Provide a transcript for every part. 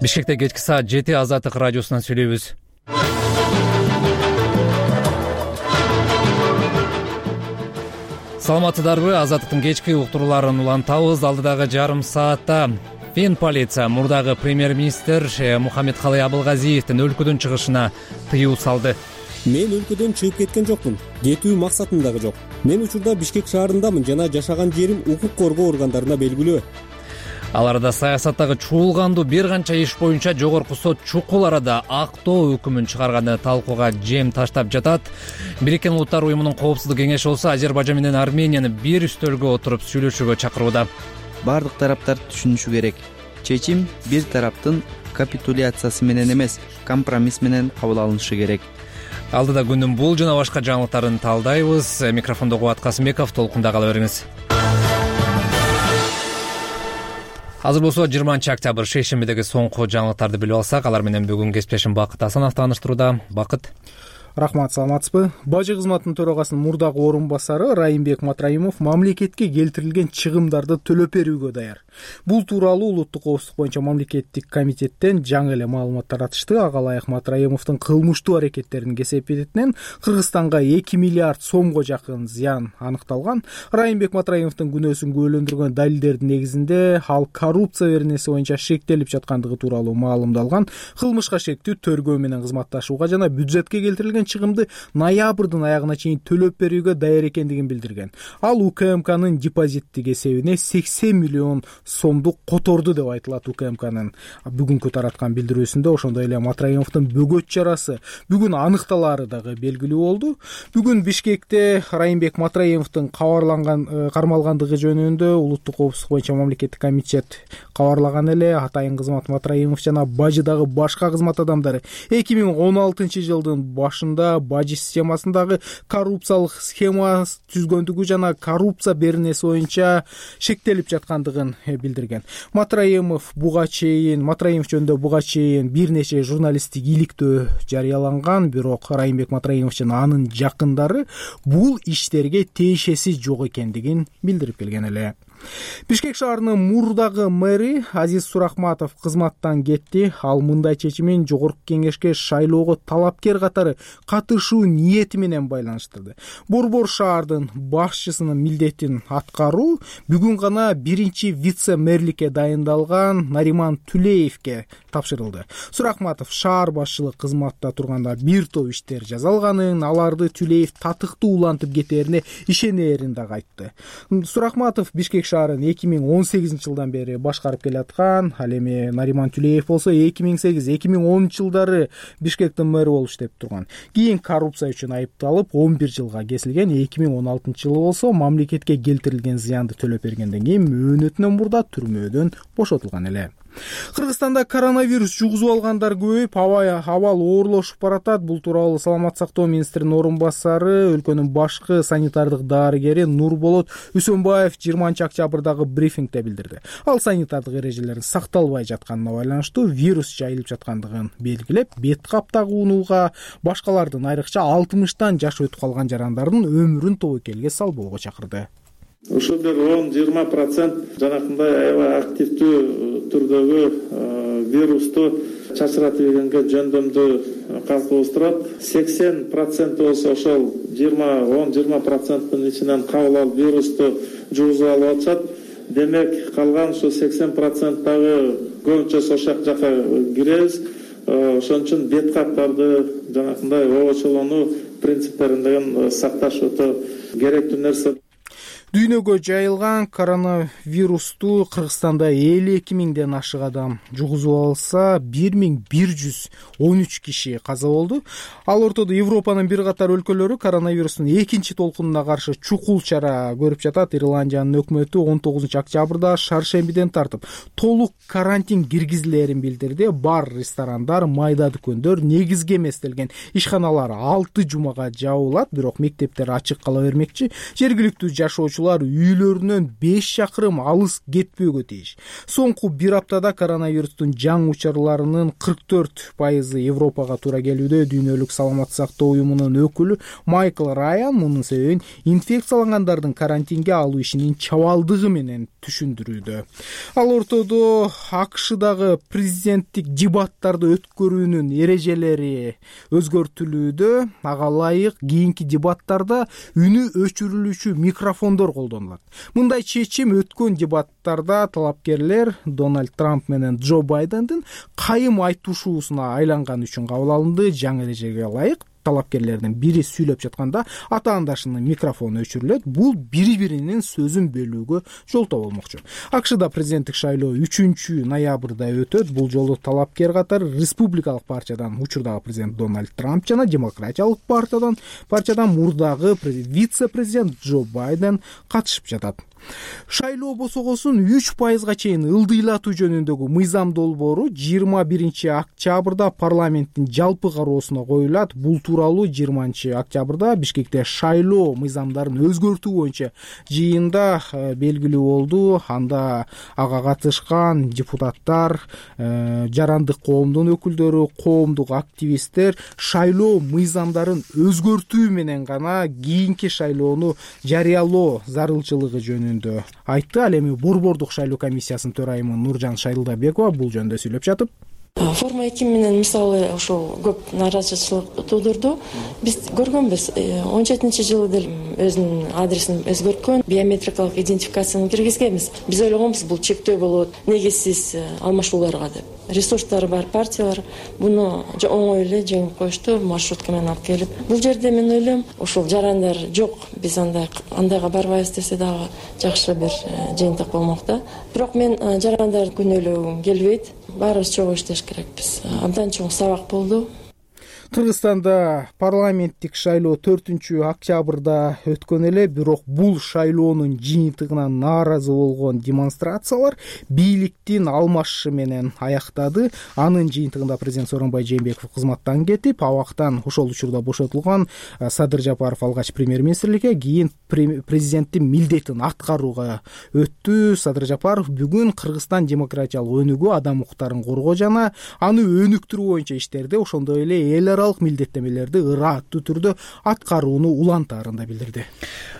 Бишкекте кечки саат 7 Азаттык радиосунан сүйлөйбүз. Саламатсыздарбы? Азаттыктын кечки уктурууларын улантабыз. Алдыдагы жарым саатта Фин полиция мурдагы премьер-министр Мухаммедкалый Абылгазиевдин өлкөдөн чыгышына тыюу салды. Мен өлкөдөн чыгып кеткен жокмун. Кетүү максатым дагы жок. Мен учурда Бишкек шаарындамын жана жашаган жерим укук коргоо органдарына белгилүү. Ал арада саясаттагы чуулгандуу бир канча иш боюнча жогорку сот чукул арада актоо өкүмүн чыгарганы талкууга жем таштап жатат. Бириккен Улуттар уюмунун коопсуздук кеңеши болсо Азербайжан менен Арменияны бир үстөлгө отуруп сүйлөшүүгө чакырууда. Бардык тараптар түшүнүшү керек. Чечим бир тараптын капитуляциясы менен эмес, компромисс менен кабыл алынышы керек. Алдыда күндүн бул жана башка жаңылыктарын талдайбыз. Микрофондо Кубат Касымбеков, толкунда кала бериңиз. Азыр болсо 20-октябрь шейшембидеги соңку жаңылыктарды билип алсак, алар менен бүгүн кесиптешим Бакыт Асанов тааныштырууда. Бакыт. Рахмат, саламатсызбы? Бажы кызматынын төрагасынын мурдагы орун басары Райымбек Матраимов мамлекетке келтирилген чыгымдарды төлөп берүүгө даяр. Бул тууралуу Улуттук коопсуздук боюнча мамлекеттик комитеттен жаңы эле маалымат таратышты. Ага ылайык Матраимовдун кылмыштуу аракеттеринин кесепетинен Кыргызстанга 2 миллиард сомго жакын зыян аныкталган. Райымбек Матраимовдун күнөөсүн күбөлөндүргөн далилдердин негизинде ал коррупция беренеси боюнча шектелип жаткандыгы тууралуу маалымдалган. Кылмышка шектүү төргөө менен кызматташууга жана бюджетке келтирилген чыгымды ноябрдын аягына чейин төлөп берүүгө даяр экендигин билдирген. Ал УКМКнын депозиттик эсебине 80 миллион сомду которду деп айтылат. УКМКнын бүгүнкү тараткан билдирүүсүндө ошондой эле Матраимовдун бөгөт чарасы бүгүн аныкталаары дагы белгилүү болду. Бүгүн Бишкекте Райымбек Матраимовдун кармалгандыгы жөнүндө Улуттук коопсуздук боюнча мамлекеттик комитет кабарлаган эле. Атайын кызмат Матраимов жана бажыдагы башка кызмат адамдары 2016 жылдын башында бажы системасындагы коррупциялык схема түзгөндүгү жана коррупция беренеси боюнча шектелип жаткандыгын билдирген. Матраимов жөнүндө буга чейин бир нече журналисттик иликтөө жарыяланган, бирок Райымбек Матраимов жана анын жакындары бул иштерге тиешеси жок экендигин билдирип келген эле. Бишкек шаарынын мурдагы мэри Азиз Сурахматов кызматтан кетти. Ал мындай чечимин жогорку кеңешке шайлоого талапкер катары катышуу ниети менен байланыштырды. Борбор шаардын башчысынын милдетин аткаруу бүгүн гана биринчи вице-мэрликке дайындалган Нариман Түлеевке тапшырылды. Сурахматов шаар башчылык кызматта турганда бир топ иштер жазалганын, аларды Түлеев татыктуу улантып кетерине ишенерин дагы айтты. Сурахматов Бишкек шаарын 2018 жылдан бери башкарып келаткан. Ал эми Нариман Түлеев болсо 2008-2010 жылдары Бишкектин мэри болуп иштеп турган. Кийин коррупция үчүн айыпталып 11 жылга кесилген. 2016 жылы болсо мамлекетке келтирилген зыянды төлөп бергенден кийин мөөнөтүнөн мурда түрмөдөн бошотулган эле. Кыргызстанда коронавирус жугузуп алгандар көбөйүп, абал оорлошуп баратат. Бул тууралуу Саламат сактоо министринин орун басары, өлкөнүн башкы санитардык дарыгери Нурболот Үсөнбаев 20-октябрдагы брифингде билдирди. Ал санитардык эрежелердин сакталбай жатканына байланыштуу вирус жайылып жаткандыгын белгилеп, бет кап тагуунууга, башкалардын айрыкча 60тан жашы өтүп калган жарандардын өмүрүн тобокелге салбоого чакырды. Ушул бир 10-20% жанакындай аябай активдүү түрдөгү вирусту чачыратып ийгенге жөндөмдүү калкыбыз турат. 80% болсо ошол 10-20%-тын ичинен кабыл алып вирусту жугузуп алып атышат. Демек калган ушу 80% дагы көбүнчөсү ошол жака киребиз. Ошон үчүн бет каптарды жанакындай обочолонуу принциптерин сакташ өтө керектүү нерсе. Дүйнөгө жайылган коронавирусту Кыргызстанда 52 миңден ашык адам жугузуп алса, 1113 киши каза болду. Ал ортодо Европанын бир катар өлкөлөрү коронавирустун экинчи толкунуна каршы чукул чара көрүп жатат. Ирландиянын өкмөтү 19 октябрда шаршембиден тартып толук карантин киргизилерин билдирди. Бар, ресторандар, майда дүкөндөр, негизги эмес делген ишканалар 6 жумага жабылат, бирок мектептер ачык кала бермекчи. Жергиликтүү жашоочулар окуучулар үйлөрүнөн 5 чакырым алыс кетпөөгө тийиш. Соңку бир аптада коронавирустун жаңы учурларынын 44% Европага туура келүүдө. Дүйнөлүк саламаттык сактоо уюмунун өкүлү Майкл Райан мунун себебин инфекциялангандардын карантинге алуу ишинин чабалдыгы менен түшүндүрүүдө. Ал ортодо АКШдагы президенттик дебаттарды өткөрүүнүн эрежелери өзгөртүлүүдө. Ага ылайык кийинки дебаттарда үнү өчүрүлүүчү микрофондор колдонулат. Мындай чечим өткөн дебаттарда талапкерлер Дональд Трамп менен Джо Байдендин кайым айтышуусуна айланган үчүн кабыл алынды. Жаңы эрежеге ылайык талапкерлердин бири сүйлөп жатканда атаандашынын микрофону өчүрүлөт. Бул бири-биринин сөзүн бөлүүгө жолтоо болмокчу. АКШда президенттик шайлоо 3 ноябрда өтөт. Бул жолу талапкер катары республикалык партиядан учурдагы президент Дональд Трамп жана демократиялык партиядан мурдагы вице-президент Джо Байден катышып жатат. Шайлоо босогосун 3%га чейин ылдыйлатуу жөнүндөгү мыйзам долбоору 21 октябрда парламенттин жалпы кароосуна коюлат. Бул тууралуу 20 октябрда Бишкекте шайлоо мыйзамдарын өзгөртүү боюнча жыйында белгилүү болду. Анда ага катышкан депутаттар, жарандык коомдун өкүлдөрү, коомдук активисттер шайлоо мыйзамдарын өзгөртүү менен гана кийинки шайлоону жарыялоо зарылчылыгы жөнүндө айтты. Ал эми Борбордук шайлоо комиссиясынын төрайымы Нуржан Шайлдабекова бул жөнүндө сүйлөп жатып, форма 2 менен мисалы ошол көп нааразычылык туудурду. Биз көргөнбүз 17-жылы деле өзүнүн адресин өзгөрткөн, биометрикалык идентификацияны киргизгенбиз. Биз ойлогонбуз бул чектөө болот, негизсиз алмашууларга деп. Ресурстары бар партиялар буну оңой эле жеңип коюшту, маршрутка менен алып келип. Бул жерде мен ойлойм, ошол жарандар жок, биз андайга барбайбыз десе дагы жакшы бир жыйынтык болмок да. Бирок мен жарандар күнөөлөгүм келбейт. Баарыбыз чогуу иштеш керекпиз. Абдан чоң сабак болду. Кыргызстанда парламенттик шайлоо 4 октябрда өткөн эле, бирок бул шайлоонун жыйынтыгына нааразы болгон демонстрациялар бийликтин алмашышы менен аяктады. Анын жыйынтыгында президент Сооронбай Жээнбеков кызматтан кетип, абактан ошол учурда бошотулган Садыр Жапаров алгач премьер-министрликке, кийин президенттин милдетин аткарууга өттү. Садыр Жапаров бүгүн Кыргызстан демократиялык өнүгүү, адам укуктарын коргоо жана аны өнүктүрүү боюнча иштерди, ошондой эле эл аралык милдеттемелерди ырааттуу түрдө аткарууну улантаарында билдирди.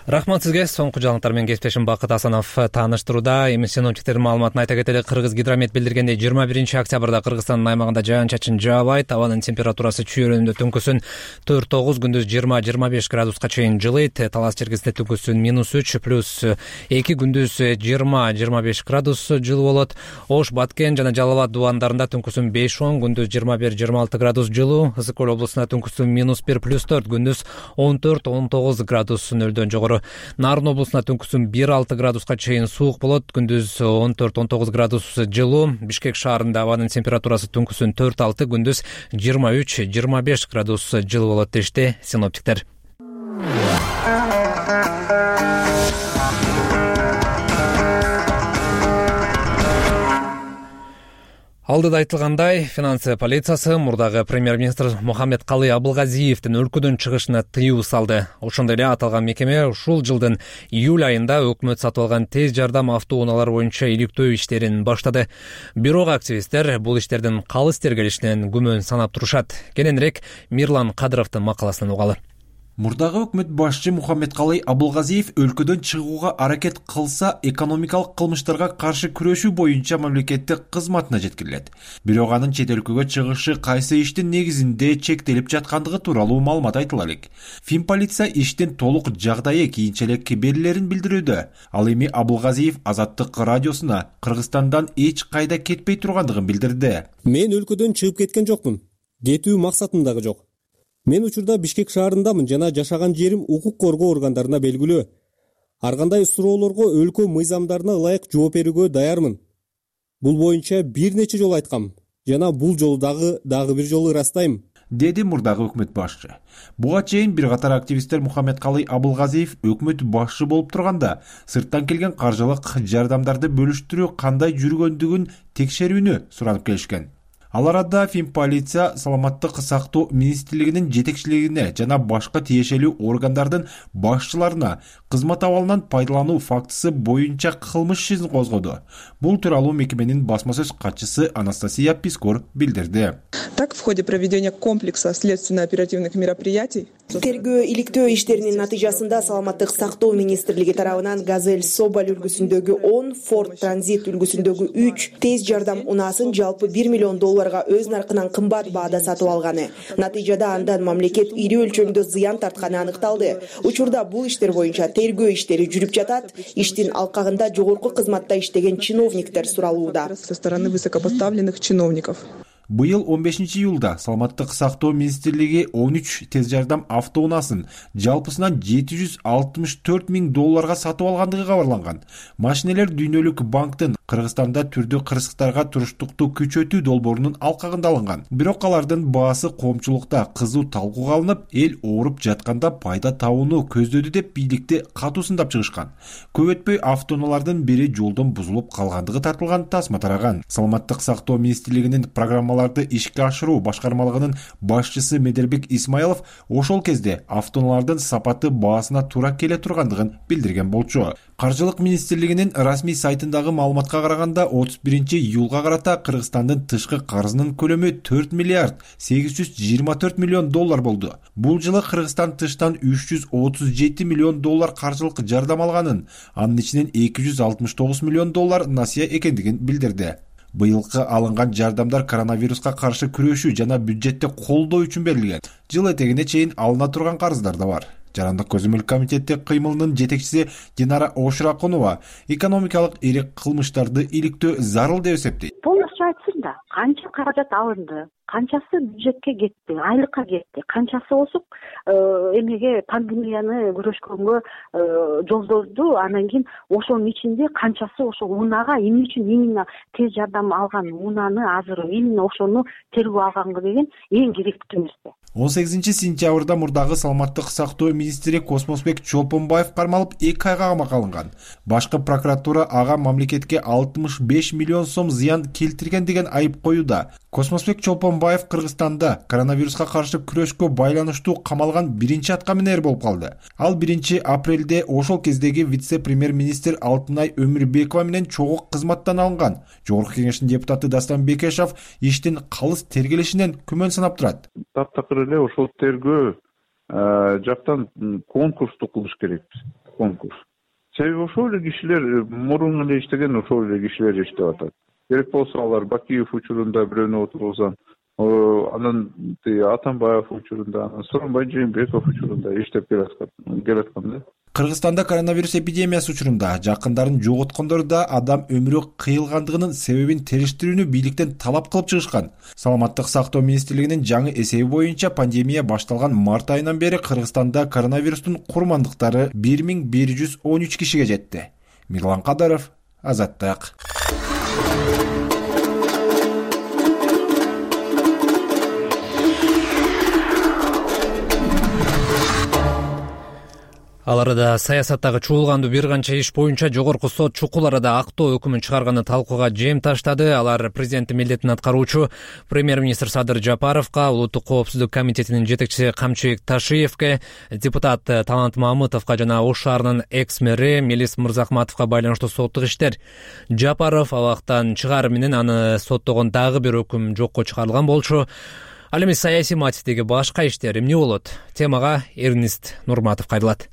Рахмат сизге. Соңку жаңылыктар менен кесиптешим Бакыт Асанов таныштырууда. Эми синоптиктердин маалыматын айта кетели. Кыргыз гидромет билдиргендей 21 октябрда Кыргызстандын аймагында жаан-чачын жаабайт. Абанын температурасы чүйөрүндө түнкүсүн 4-9, күндүз 20-25 градуска чейин жылыйт. Талас чергесинде түнкүсүн -3 плюс 2, күндүз 20-25 градус жылуу болот. Ош, Баткен жана Жалал абад дубандарында түнкүсүн 5-10, күндүз 21-26 градус жылуу. Ысык Көл облусунда түнкүсүн -1 плюс 4, күндүз 14-19 градус нөлдөн жогору. Нарын облусунда түнкүсүн 1-6 градуска чейин суук болот, күндүз 14-19 градус жылуу. Бишкек шаарында абанын температурасы түнкүсүн 4-6, күндүз 23-25 градус жылуу болот дешти синоптиктер. Алдыда айтылгандай, финансы полициясы мурдагы премьер-министр Мухаммедкалый Абылгазиевдин өлкөдөн чыгышына тыюу салды. Ошондой эле аталган мекеме ушул жылдын июль айында өкмөт сатып алган тез жардам автоунаалары боюнча иликтөө иштерин баштады. Бирок активисттер бул иштердин калыс тергелишинен күмөн санап турушат. Кененирээк Мирлан Кадыровдун макаласынан угалы. Мурдагы өкмөт башчы Мухаммедкалый Абылгазиев өлкөдөн чыгууга аракет кылса, экономикалык кылмыштарга каршы күрөшүү боюнча мамлекеттик кызматына жеткирилет. Бирок анын чет өлкөгө чыгышы кайсы иштин негизинде чектелип жаткандыгы тууралуу маалымат айтыла элек. Финполиция иштин толук жагдайы кийинчерээк берилерин билдирүүдө. Ал эми Абылгазиев Азаттык радиосуна Кыргызстандан эч кайда кетпей тургандыгын билдирди. Мен өлкөдөн чыгып кеткен жокмун. Кетүү максатым дагы жок. Мен учурда Бишкек шаарындамын жана жашаган жерим укук коргоо органдарына белгилүү. Ар кандай суроолорго өлкө мыйзамдарына ылайык жооп берүүгө даярмын. Бул боюнча бир нече жолу айткам жана бул жолу дагы бир жолу ырастайм, деди мурдагы өкмөт башчы. Буга чейин бир катар активисттер Мухаммедкалый Абылгазиев өкмөт башчы болуп турганда сырттан келген каржылык жардамдарды бөлүштүрүү кандай жүргөндүгүн текшерүүнү суранып келишкен. Ал арада Финполиция саламаттык сактоо министрлигинин жетекчилигине жана башка тиешелүү органдардын башчыларына кызмат абалынан пайдалануу фактысы боюнча кылмыш ишин козгоду. Бул тууралуу мекеменин басма сөз катчысы Анастасия Пискор билдирди. Так, в ходе проведения комплекса следственно-оперативных мероприятий тергөө иликтөө иштеринин натыйжасында саламаттык сактоо министрлиги тарабынан Газель Соболь үлгүсүндөгү 10, Ford Transit үлгүсүндөгү 3 тез жардам унаасын жалпы $1 миллион өз наркынан кымбат баада сатып алганы. Натыйжада андан мамлекет ири өлчөмдө зыян тартканы аныкталды. Учурда бул иштер боюнча тергөө иштери жүрүп жатат. Иштин алкагында жогорку кызматта иштеген чиновниктер суралууда. Со стороны высокопоставленных чиновников. Быйыл 15-июлда саламаттык сактоо министрлиги 13 тез жардам автоунаасын жалпысынан $764 миң сатып алгандыгы кабарланган. Машинелер дүйнөлүк банктын Кыргызстанда түрдүү кырсыктарга туруштукту күчөтүү долбоорунун алкагында алынган. Бирок алардын баасы коомчулукта кызуу талкууга алынып, эл ооруп жатканда пайда табууну көздөдү деп бийликти катуу сындап чыгышкан. Көп өтпөй автоунаалардын бири жолдон бузулуп калгандыгы тартылган тасма тараган. Саламаттык сактоо министрлигинин программаларды ишке ашыруу башкармалыгынын башчысы Медербек Исмаилов ошол кезде автоунаалардын сапаты баасына туура келе тургандыгын билдирген болчу. Каржылык министрлигинин расмий сайтындагы маалыматка караганда 31-июлга карата Кыргызстандын тышкы карызынын көлөмү $4 миллиард 824 миллион болду. Бул жылы Кыргызстан тыштан $337 миллион каржылык жардам алганын, анын ичинен $269 миллион насыя экендигин билдирди. Быйылкы алынган жардамдар коронавируска каршы күрөшүү жана бюджетти колдоо үчүн берилген. Жыл этегине чейин алына турган карыздар да бар. Жарандык көзөмөл комитети кыймылынын жетекчиси Динара Ошуракунова экономикалык ири кылмыштарды иликтөө зарыл деп эсептейт. Полностью айтсын да, канча каражат алынды, канчасы бюджетке кетти, айлыкка кетти, канчасы осуп эмеге пандемияны күрөшкөнгө жолдоду, анан кийин ошонун ичинде канчасы ошол унаага эмне үчүн именно тез жардам алган унааны азыр именно ошону тергөө алганга деген эң керектүү нерсе. 18-сентябрда мурдагы саламаттык сактоо министри Космосбек Чолпонбаев кармалып 2 айга камакка алынган. Башкы прокуратура ага мамлекетке 65 миллион сом зыян келтирген деген айып коюуда. Космосбек Чолпонбаев Кыргызстанда коронавируска каршы күрөшкө байланыштуу камалган биринчи аткаминер болуп калды. Ал 1-апрелде ошол кездеги вице-премьер-министр Алтынай Өмүрбекова менен чогуу кызматтан алынган. Жогорку кеңештин депутаты Дастан Бекешов иштин калыс тергелишинен күмөн санап турат. Таптакыр эле ошол тергөө жактан конкурсту кылыш керекпиз. Конкурс. Себеби ошол эле кишилер мурун эле иштеген ошол эле кишилер иштеп атат. Керек болсо алар Бакиев учурунда бирөөнү отургузган, анан Атамбаев учурунда, анан Сооронбай Жээнбеков учурунда иштеп келаткан да. Кыргызстанда коронавирус эпидемиясы учурунда жакындарын жоготкондор да адам өмүрү кыйылгандыгынын себебин териштирүүнү бийликтен талап кылып чыгышкан. Саламаттык сактоо министрлигинин жаңы эсеби боюнча пандемия башталган март айынан бери Кыргызстанда коронавирустун курмандыктары 1113 кишиге жетти. Мирлан Кадаров, Азаттык. Ал арада саясаттагы чуулгандуу бир канча иш боюнча жогорку сот чукул арада актоо өкүмүн чыгарганы талкууга жем таштады. Алар президенттин милдетин аткаруучу премьер-министр Садыр Жапаровго, улуттук коопсуздук комитетинин жетекчиси Камчыбек Ташиевке, депутат Талант Мамытовго жана Ош шаарынын экс-мэри Мелис Мырзахматовго байланыштуу соттук иштер. Жапаров абактан чыгаруу менен аны соттогон дагы бир өкүм жокко чыгарылган болчу. Ал эми саясий мотивдеги башка иштер эмне болот? Темага Эрнист Нурматов кайрылат.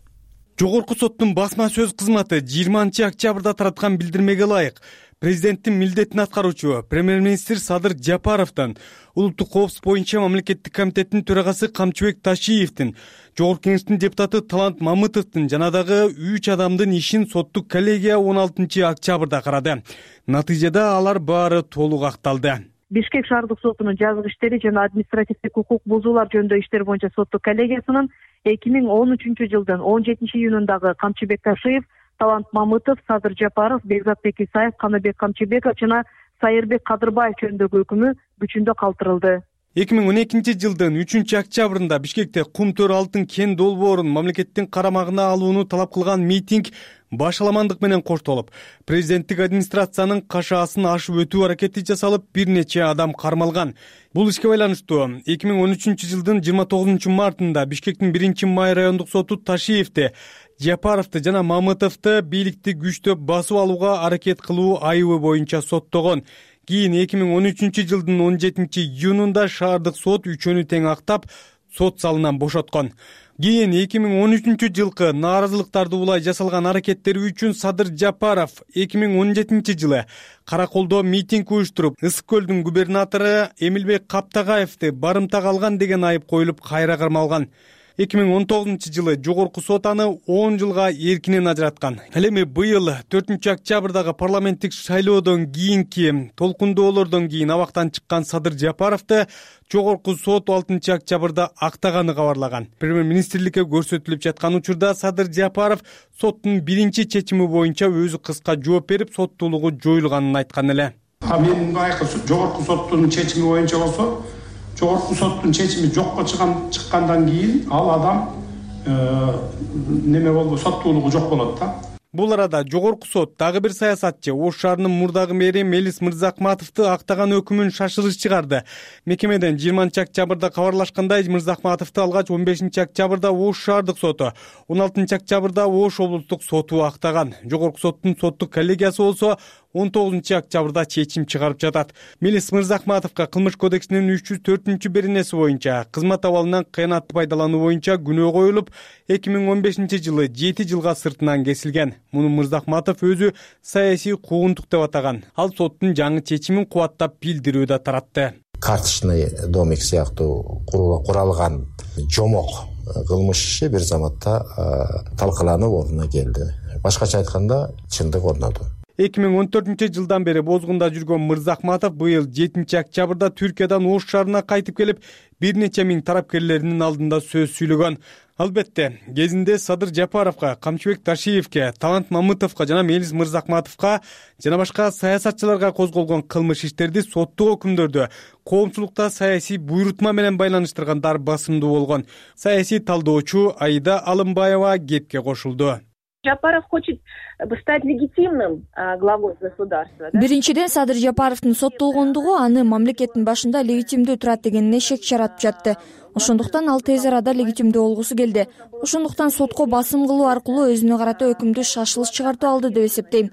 Жогорку соттун басма сөз кызматы 20-октябрда тараткан билдирмеге ылайык президенттин милдетин аткаруучу премьер-министр Садыр Жапаровдон, улуттук коопсуздук боюнча мамлекеттик комитеттин төрагасы Камчыбек Ташиевдин, жогорку кеңештин депутаты Талант Мамытовдун жана дагы 3 адамдын ишин соттук коллегия 16-октябрда карады. Натыйжада алар баары толук акталды. Бишкек шаардык сотунун жазык иштери жана административдик укук бузуулар жөнүндө иштер боюнча соттук коллегиясынын 2013 жылдын 17-июнундагы Камчыбек Ташиев, Талант Мамытов, Садыр Жапаров, Бекзатбек Исаев, Каныбек Камчыбеков жана Сайырбек Кадырбаев жөнүндөгү өкүмү күчүндө калтырылды. 2012 жылдын 3-октябрында Бишкекте кум төр алтын кен долбоорун мамлекеттин карамагына алууну талап кылган митинг башаламандык менен коштолуп, президенттик администрациянын кашаасын ашып өтүү аракети жасалып, бир нече адам кармалган. Бул ишке байланыштуу 2013-жылдын 29 мартында Бишкектин 1-май райондук соту Ташиевди, Жапаровду жана Мамытовду бийликти күчтөп басып алууга аракет кылуу айыбы боюнча соттогон. Кийин 2013-жылдын 17-июнунда шаардык сот үчөөнү тең актап, сот залынан бошоткон. Кийин 2013-жылкы нааразылыктарды улай жасалган аракеттери үчүн Садыр Жапаров 2017-жылы Караколдо митинг уюштуруп, Ысык көлдүн губернатору Эмилбек Каптагаевди барымтага алган деген айып коюлуп, кайра кармалган. 2019-жылы жогорку сот аны 10 жылга эркинен ажыраткан. Ал эми быйыл 4-октябрдагы парламенттик шайлоодон кийинки толкундоолордон кийин абактан чыккан Садыр Жапаровду жогорку сот 6-октябрда актаганы кабарлаган. Премьер-министрликке көрсөтүлүп жаткан учурда Садыр Жапаров соттун биринчи чечими боюнча өзү кыска жооп берип, соттуулугу жоюлганын айткан эле. Мен байкы жогорку соттун чечими боюнча болсо, жогорку соттун чечими жокко чыккандан кийин ал адам неме болду, соттуулугу жок болот да. Бул арада жогорку сот дагы бир саясатчы Ош шаарынын мурдагы мэри Мелис Мырзахматовду актаган өкүмүн шашырыш чыгарды. Мекемеден 20-октябрда кабарлашкандай, Мырзахматовду алгач 15-октябрда Ош шаардык соту, 16-октябрда Ош облустук соту актаган. Жогорку соттун соттук коллегиясы болсо 19-октябрда чечим чыгарып жатат. Мелис Мырзахматовго Кылмыш кодексинин 304-беренеси боюнча кызмат абалынан кыянатты пайдалануу боюнча күнөө коюлуп, 2015-жылы 7 жылга сыртынан кесилген. Муну Мырзахматов өзү саясий куугунтук деп атаган. Ал соттун жаңы чечимин кубаттап билдирүү да таратты. Карточный домик сыяктуу куралган жомок кылмыш иши бир заматта талкаланып ордуна келди. Башкача айтканда, чындык орноду. 2014-жылдан бери бозгунда жүргөн Мырзахматов быйыл 7-октябрда Түркиядан Ош шаарына кайтып келип, бир нече миң тарапкерлеринин алдында сөз сүйлөгөн. Албетте, кезинде Садыр Жапаровго, Камчыбек Ташиевге, Талант Мамытовго жана Мелис Мырзахматовго жана башка саясатчыларга козголгон кылмыш иштерди соттук өкүмдөрдө коомчулукта саясий буйрутма менен байланыштыргандар басымдуу болгон. Саясий талдоочу Аида Алымбаева кепке кошулду. Жапаров хочет стать легитимным главой государства. Биринчиден, Садыр Жапаровдун соттолгондугу аны мамлекеттин башында легитимдүү турат дегенине шек жаратып жатты. Ошондуктан ал тез арада легитимдүү болгусу келди. Ошондуктан сотко басым кылуу аркылуу өзүнө карата өкүмдү шашылыш чыгартып алды деп эсептейм.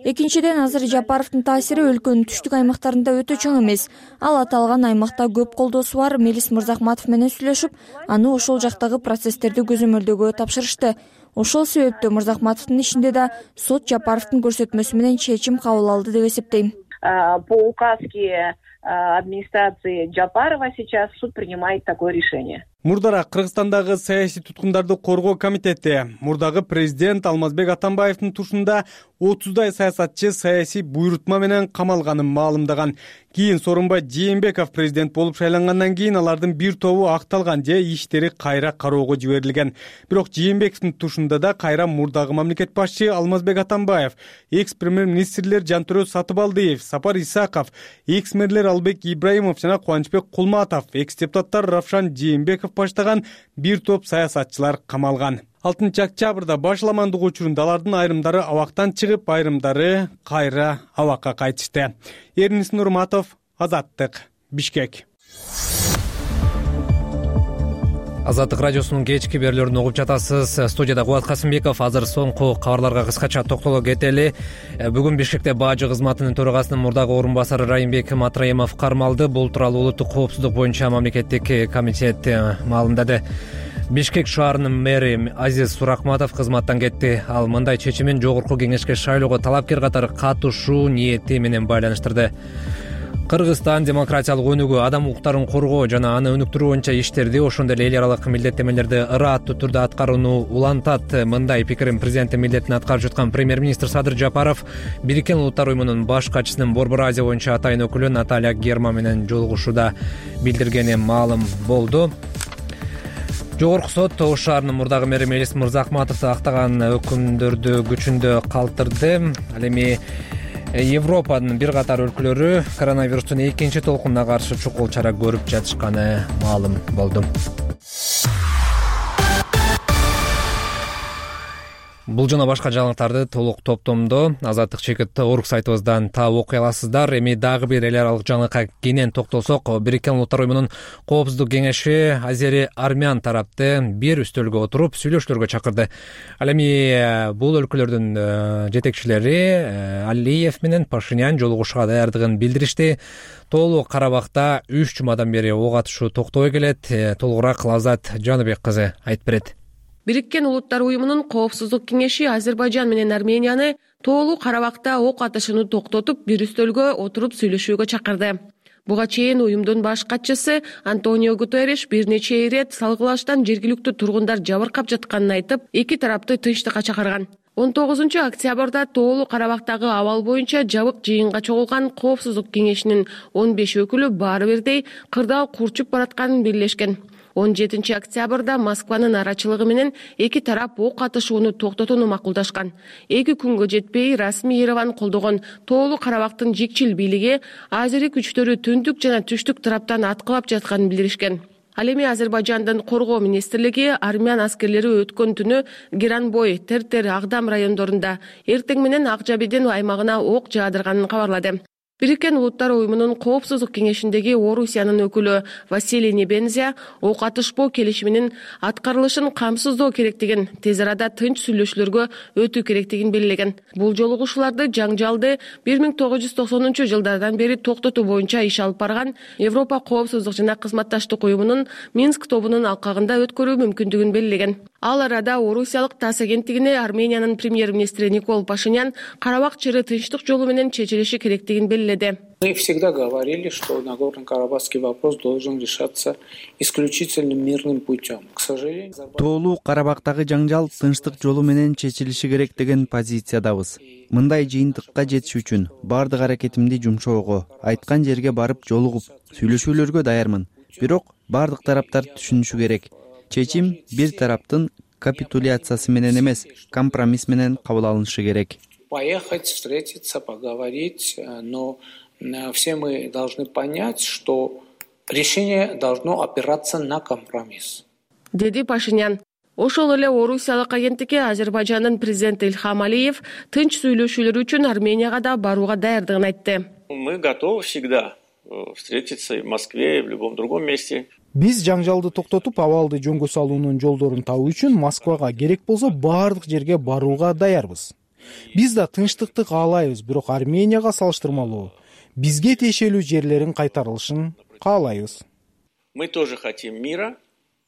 Экинчиден, азыр Жапаровдун таасири өлкөнүн түштүк аймактарында өтө чоң эмес. Ал аталган аймакта көп колдоосу бар Мелис Мырзахматов менен сүйлөшүп, аны ошол жактагы процесстерди көзөмөлдөгө тапшырышты. Ошол себептен Мырзахматовдун ишинде да сот Жапаровдун көрсөтмөсү менен чечим кабыл алды деп эсептейм. По указке администрации Жапарова сейчас суд принимает такое решение. Мурдара Кыргызстандагы саясий туткундарды коргоо комитети мурдагы президент Алмазбек Атамбаевдин тушунда 30дай саясатчы саясий буйрутма менен камалганын маалымдаган. Кийин Сооронбай Жээнбеков президент болуп шайлангандан кийин алардын бир тобу акталган же иштери кайра кароого жиберилген. Бирок Жээнбековдун тушунда да кайра мурдагы мамлекет башчы Алмазбек Атамбаев, экс-премьер-министрлер Жантөрө Сатыбалдиев, Сапар Исаков, экс-мэрлер Албек Ибраимов жана Кубанычбек Кулматов, экс-депутаттар Равшан Жээнбеков баштаган бир топ саясатчылар камалган. 6-октябрда башаламандык учурунда алардын айрымдары абактан чыгып, айрымдары кайра абакка кайтышты. Эрнис Нурматов, Азаттык, Бишкек. Азаттык радиосунун кечки берүүлөрүн угуп жатасыз. Студияда Кубат Касымбеков. Азыр соңку кабарларга кыскача токтоло кетели. Бүгүн Бишкекте Бажы кызматынын төрагасынын мурдагы орун басары Райымбек Матраимов кармалды. Бул тууралуу улуттук коопсуздук боюнча мамлекеттик комитет маалымдады. Бишкек шаарынын мэри Азиз Суракматов кызматтан кетти. Ал мындай чечимин жогорку кеңешке шайлоого талапкер катары катышуу ниети менен байланыштырды. Кыргызстан демократиялык өнүгүү, адам укуктарын коргоо жана аны өнүктүрүү боюнча иштерди, ошондой эле эл аралык милдеттемелерди ырааттуу түрдө аткарууну улантат. Мындай пикирин президенттин милдетин аткарып жаткан премьер-министр Садыр Жапаров Бириккен Улуттар уюмунун баш катчысынын Борбор Азия боюнча атайын өкүлү Наталья Герма менен жолугушууда билдиргени маалым болду. Жогорку сот Ош шаарынын мурдагы мэри Мелис Мырзахматовду актаган өкүмдөрдү күчүндө калтырды. Ал эми Европанын бир катар өлкөлөрү коронавирустун экинчи толкунуна каршы чукул чара көрүп жатышканы маалым болду. Бул жана башка жаңылыктарды толук топтомдо Азаттык чекит орг сайтыбыздан таап окуй аласыздар. Эми дагы бир эл аралык жаңылыкка кенен токтолсок, Бириккен Улуттар уюмунун Коопсуздук кеңеши Азери Армян тарапты бир үстөлгө отуруп сүйлөшүүлөргө чакырды. Ал эми бул өлкөлөрдүн жетекчилери Алиев менен Пашинян жолугушууга даярдыгын билдиришти. Тоолуу Карабакта 3 жумадан бери ок атышуу токтобой келет. Толугураак Лаззат Жаныбек кызы айтып берет. Бириккен Улуттар уюмунун Коопсуздук кеңеши Азербайжан менен Арменияны Тоолуу Карабакта ок атышууну токтотуп, бир үстөлгө отуруп сүйлөшүүгө чакырды. Буга чейин уюмдун баш катчысы Антонио Гутерриш бир нече ирет салгылаштан жергиликтүү тургундар жабыркап жатканын айтып, эки тарапты тынчтыкка чакырган. 19-октябрда Тоолуу Карабактагы абал боюнча жабык жыйынга чогулган Коопсуздук кеңешинин 15 өкүлү баары бирдей кырдаал курчуп баратканын белгилешкен. 17-октябрда Москванын арачылыгы менен эки тарап ок атышууну токтотууну макулдашкан. 2 күнгө жетпей расмий Ереван колдогон Тоолуу Карабактын жикчил бийлиги азери күчтөрү түндүк жана түштүк тараптан аткылап жатканын билдиришкен. Ал эми Азербайжандын коргоо министрлиги армян аскерлери өткөн түнү Геранбой, Тертер, Агдам райондорунда эртең менен Ак Жабиден аймагына ок жаадырганын кабарлады. Бириккен Улуттар уюмунун Коопсуздук кеңешиндеги Орусиянын өкүлү Василий Небензия ок атышпоо келишиминин аткарылышын камсыздоо керектигин, тез арада тынч сүйлөшүүлөргө өтүү керектигин белгилеген. Бул жолугушууларды жаңжалды 1990-жылдардан бери токтотуу боюнча иш алып барган Европа Коопсуздук жана кызматташтык уюмунун Минск тобунун алкагында өткөрүү мүмкүндүгүн белгилеген. Ал арада орусиялык ТАСС агенттигине Армениянын премьер-министри Никол Пашинян Карабак чери тынчтык жолу менен чечилиши керектигин белгиледи. Мы всегда говорили, что Нагорно-Карабахский вопрос должен решаться исключительно мирным путем. К сожалению, Тоолуу Карабактагы жаңжал тынчтык жолу менен чечилиши керек деген позициядабыз. Мындай жыйынтыкка жетиш үчүн бардык аракетимди жумшоого, айткан жерге барып жолугуп, сүйлөшүүлөргө даярмын. Бирок бардык тараптар түшүнүшү керек. Чечим бир тараптын капитуляциясы менен эмес, компромисс менен кабыл алынышы керек. Поехать, встретиться, поговорить, но все мы должны понять, что решение должно опираться на компромисс. Деди Пашинян. Ошол эле орусиялык агенттикке Азербайжандын президенти Ильхам Алиев тынч сүйлөшүүлөр үчүн Арменияга да барууга даярдыгын айтты. Мы готовы всегда встретиться в Москве и в любом другом месте. Биз жаңжалды токтотуп, абалды жөнгө салуунун жолдорун табуу үчүн Москвага керек болсо бардык жерге барууга даярбыз. Биз да тынчтыкты каалайбыз, бирок Арменияга салыштырмалуу бизге тиешелүү жерлерин кайтарылышын каалайбыз. Мы тоже хотим мира,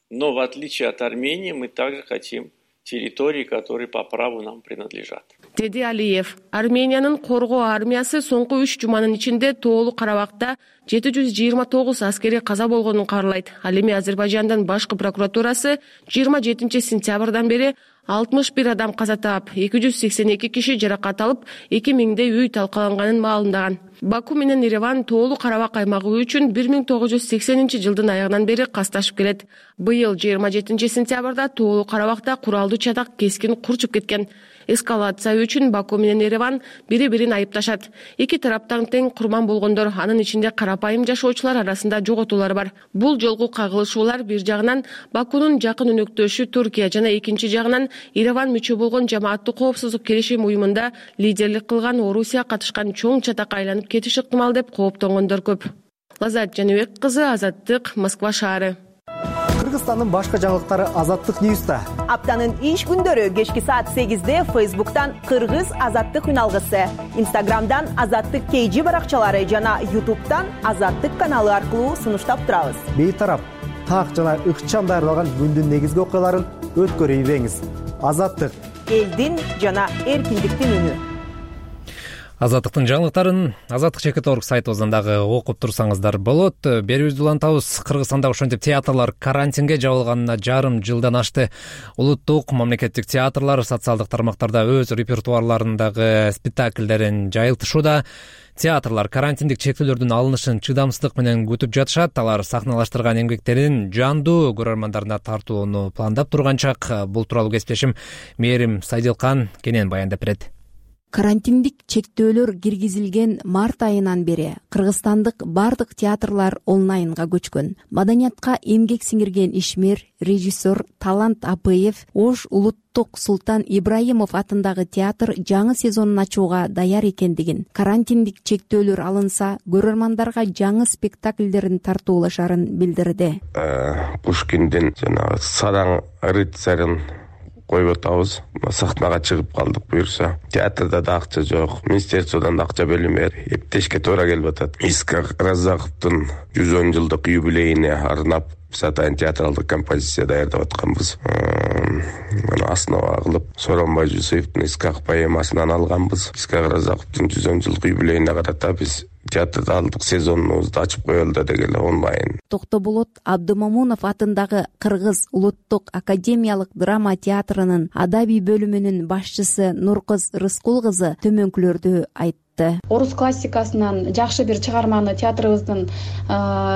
но в отличие от Армении мы также хотим территории, которые по праву нам принадлежат. Деди Алиев. Армениянын коргоо армиясы соңку 3 жуманын ичинде Тоолуу Карабакта 729 аскери каза болгонун кабарлайт. Ал эми Азербайжандын башкы прокуратурасы 27-сентябрдан бери 61 адам каза таап, 282 киши жаракат алып, 2000 үй талкаланганын маалымдаган. Баку менен Ереван Тоолуу Карабак аймагы үчүн 1980-жылдын аягынан бери касташып келет. Быйыл 27-сентябрда Тоолуу Карабакта куралдуу чатак кескин курчуп кеткен. Эскалация үчүн Баку менен Ереван бири-бирин айыпташат. Эки тараптан тең курман болгондор, анын ичинде карапайым жашоочулар арасында жоготуулар бар. Бул жолку кагылышуулар бир жагынан Бакунун жакын өнөктөшү Туркия жана экинчи жагынан Ереван мүчө болгон Жамааттуу коопсуздук келишим уюмунда лидерлик кылган Орусия катышкан чоң чатакка айланып кетиш ыктымал деп кооптонгондор көп. Лаззат Жаныбек кызы, Азаттык, Москва шаары. Кыргызстандын башка жаңылыктары Азаттык Ньюста. Аптанын иш күндөрү кечки саат 8-де Facebook'tan Кыргыз Азаттык үналгысы, Instagram'dan Азаттык KG баракчалары жана YouTube'дан Азаттык каналы аркылуу сунуштап турабыз. Бейтарап, так жана ыкчам даярдалган күндүн негизги окуяларын өткөрүп ийбеңиз. Азаттык элдин жана эркиндиктин үнү. Азаттыктын жаңылыктарын Азаттык чекит орг сайтыбыздан дагы окуп турсаңыздар болот. Берүүбүздү улантабыз. Кыргызстанда ошентип театрлар карантинге жабылганына жарым жылдан ашты. Улуттук мамлекеттик театрлар социалдык тармактарда өз репертуарларындагы спектакльдерин жайылтышууда. Театрлар карантиндик чектөөлөрдүн алынышын чыдамсыздык менен күтүп жатышат. Алар сахналаштырган эмгектерин жандуу көрөрмандарына тартууну пландап турганчак. Бул тууралуу кесиптешим Мээрим Сайдилкан кенен баяндап берет. Карантиндик чектөөлөр киргизилген март айынан бери кыргызстандык бардык театрлар онлайнга көчкөн. Маданиятка эмгек сиңирген ишмер, режиссер Талант Апыев Ош улуттук Султан Ибраимов атындагы театр жаңы сезонун ачууга даяр экендигин, карантиндик чектөөлөр алынса, көрөрмандарга жаңы спектакльдерин тартуулашарын билдирди. Пушкиндин жанагы Садаң рыцарын коюп атабыз. Сахнага чыгып калдык буюрса. Театрда да акча жок, министерстводон да акча бөлүнбөйт. Эптешке туура келип атат. Искак Разаковдун 110 жылдык юбилейине арнап Сатайн театралдык композиция даярдап атканбыз. Муну основа кылып Сооронбай Жусуевдин Искак поэмасынан алганбыз. Искак Разаковдун 110 жылдык юбилейине карата биз театрда алдык сезонубузду ачып коелу да деген онлайн. Токтоболот Абдымамунов атындагы Кыргыз улуттук академиялык драма театрынын адабий бөлүмүнүн башчысы Нуркыз Рыскул кызы төмөнкүлөрдү айтты. Орус классикасынан жакшы бир чыгарманы театрыбыздын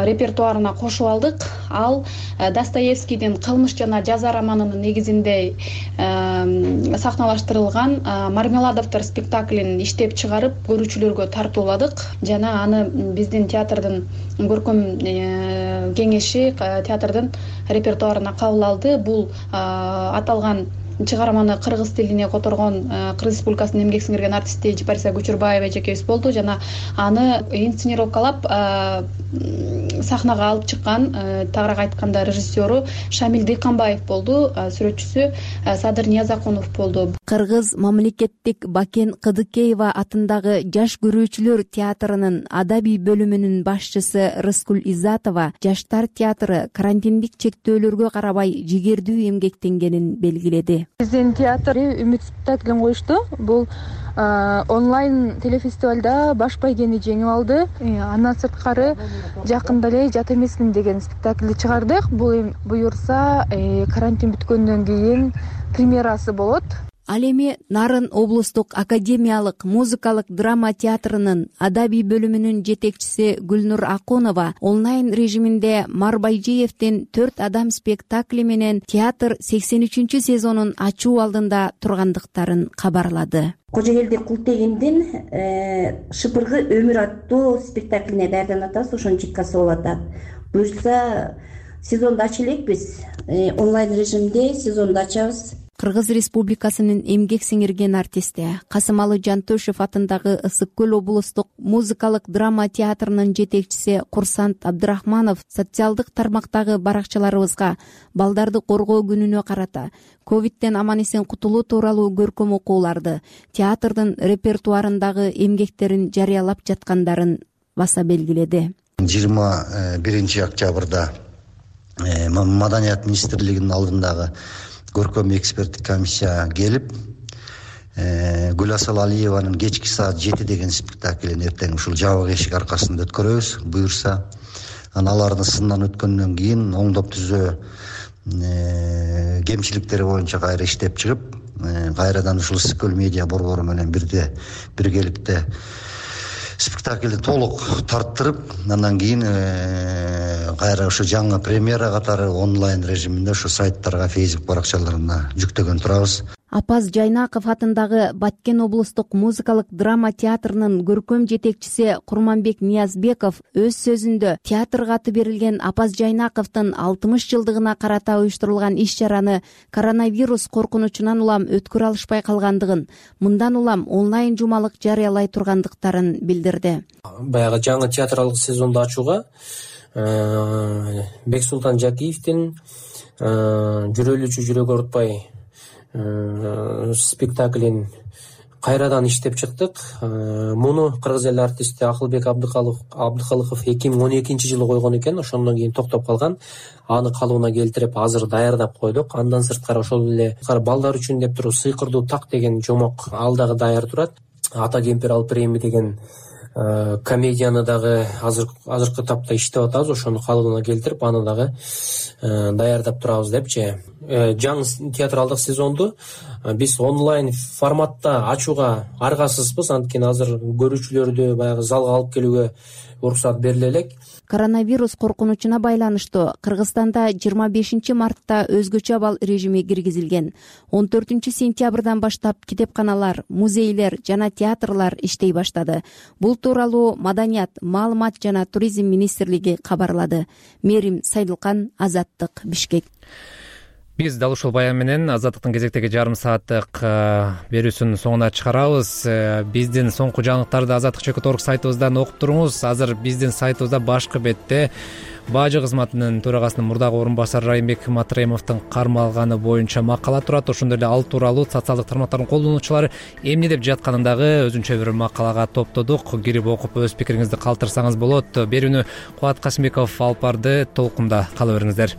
репертуарына кошуп алдык. Ал Достоевскийдин Кылмыш жана жаза романынын негизинде сахналаштырылган Мармеладовдор спектаклин иштеп чыгарып, көрүүчүлөргө тартууладык. Жана аны биздин театрдын көркөм кеңеши театрдын репертуарына кабыл алды. Бул аталган чыгарманы кыргыз тилине которгон Кыргыз Республикасынын эмгек сиңирген артисти Жипариса Көчүрбаева эжекебиз болду. Жана аны инсценировкалап сахнага алып чыккан, тагыраак айтканда режиссеру Шамил Дыйканбаев болду, сүрөтчүсү Садыр Ниязакунов болду. Кыргыз мамлекеттик Бакен Кыдыкеева атындагы Жаш көрүүчүлөр театрынын адабий бөлүмүнүн башчысы Рыскул Изатова жаштар театры карантиндик чектөөлөргө карабай жигердүү эмгектенгенин белгиледи. Биздин театр Үмүт спектаклин коюшту. Бул онлайн телефестивалда баш байгени жеңип алды. Андан сырткары жакында эле Жат эмесмин деген спектаклди чыгардык. Бул буюрса карантин бүткөндөн кийин премьерасы болот. Ал эми Нарын облустук академиялык музыкалык драма театрынын адабий бөлүмүнүн жетекчиси Гүлнур Акунова онлайн режиминде Марбайжиевдин 4 адам спектакли менен театр 83 сезонун ачуу алдында тургандыктарын кабарлады. Кожогелди Култегиндин Шыпыргы өмүр аттуу спектаклине даярданып атабыз, ошонун читкасы болуп атат. Буюрса сезонду ача элекпиз. Онлайн режимде сезонду ачабыз. Кыргыз Республикасынын эмгек сиңирген артисти Касымалы Жантөшев атындагы Ысык көл облустук музыкалык драма театрынын жетекчиси Курсант Абдырахманов социалдык тармактагы баракчаларыбызга балдарды коргоо күнүнө карата ковидтен аман эсен кутулуу тууралуу көркөм окууларды, театрдын репертуарындагы эмгектерин жарыялап жаткандарын баса белгиледи. 21 октябрда Маданият министрлигинин алдындагы көркөм эксперттик комиссия келип, Гүласыл Алиеванын кечки саат 7 деген спектаклин эртең ушул жабык эшик аркасында өткөрөбүз, буюрса. Алардын сындан өткөндөн кийин оңдоп түзөө кемчиликтери боюнча кайра иштеп чыгып, кайрадан ушул Ысык көл медиа борбору менен биргеликте спектаклди толук тарттырып, андан кийин кайра ушу жаңы премьера катары онлайн режиминде ушу сайттарга, Facebook баракчаларына жүктөгөн турабыз. Апаз Жайнаков атындагы Баткен облустук музыкалык драма театрынын көркөм жетекчиси Курманбек Ниязбеков өз сөзүндө театрга аты берилген Апаз Жайнаковдун 60 жылдыгына карата уюштурулган иш-чараны коронавирус коркунучунан улам өткөрө алышпай калгандыгын, мындан улам онлайн жумалык жарыялай тургандыктарын билдирди. Баягы жаңы театралык сезонду ачууга Бексултан Жакиевдин жүрөлүүчү жүрөк оорутпай спектаклин кайрадан иштеп чыктык. Муну кыргыз эл артисти Акылбек Абдыкалыков 2012 жылы койгон экен, ошондон кийин токтоп калган. Аны калыбына келтирип азыр даярдап койдук. Андан сырткары ошол эле балдар үчүн деп туруп Сыйкырдуу так деген жомок ал дагы даяр турат. Ата кемпир ал премия деген комедияны дагы азыркы тапта иштеп атабыз, ошону калыбына келтирип, аны дагы даярдап турабыз депчи. Жаңы театралдык сезонду биз онлайн форматта ачууга аргасызбыз, анткени азыр көрүүчүлөрдү баягы залга алып келүүгө уруксат бериле элек. Коронавирус коркунучуна байланыштуу Кыргызстанда 25 мартта өзгөчө абал режими киргизилген. 14 сентябрдан баштап китепканалар, музейлер жана театрлар иштей баштады. Бул тууралуу Маданият, маалымат жана туризм министрлиги кабарлады. Мерим Сайдылкан, Азаттык, Бишкек. Биз дал ушул баян менен Азаттыктын кезектеги жарым сааттык берүүсүнүн соңуна чыгарабыз. Биздин соңку жаңылыктарды Азаттык.org сайтыбыздан окуп туруңуз. Азыр биздин сайтыбызда башкы бетте Бажы кызматынын төрагасынын мурдагы орун басары Райымбек Матраимовдун кармалганы боюнча макала турат. Ошондой эле ал тууралуу социалдык тармактардын колдонуучулары эмне деп жатканын дагы өзүнчө бир макалага топтодук. Кирип окуп өз пикириңизди калтырсаңыз болот. Берүүнү Кубат Касымбеков алып барды. Толкунда кала бериңиздер.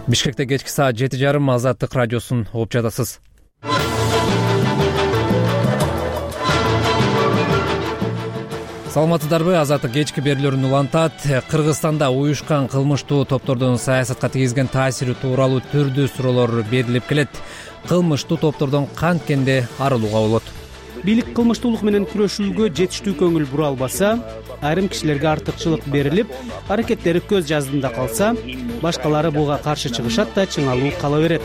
Бишкекте кечки саат 7:30 Азаттык радиосун угуп жатасыз. Саламатсыздарбы? Азаттык кечки берүүлөрүн улантат. Кыргызстанда уюшкан кылмыштуу топтордун саясатка тийгизген таасири тууралуу түрдүү суроолор берилип келет. Кылмыштуу топтордон канткенде арылууга болот? Бийлик кылмыштуулук менен күрөшүүгө жетиштүү көңүл бура албаса, айрым кишилерге артыкчылык берилип, аракеттери көз жаздында калса, башкалары буга каршы чыгышат да чыңалуу кала берет.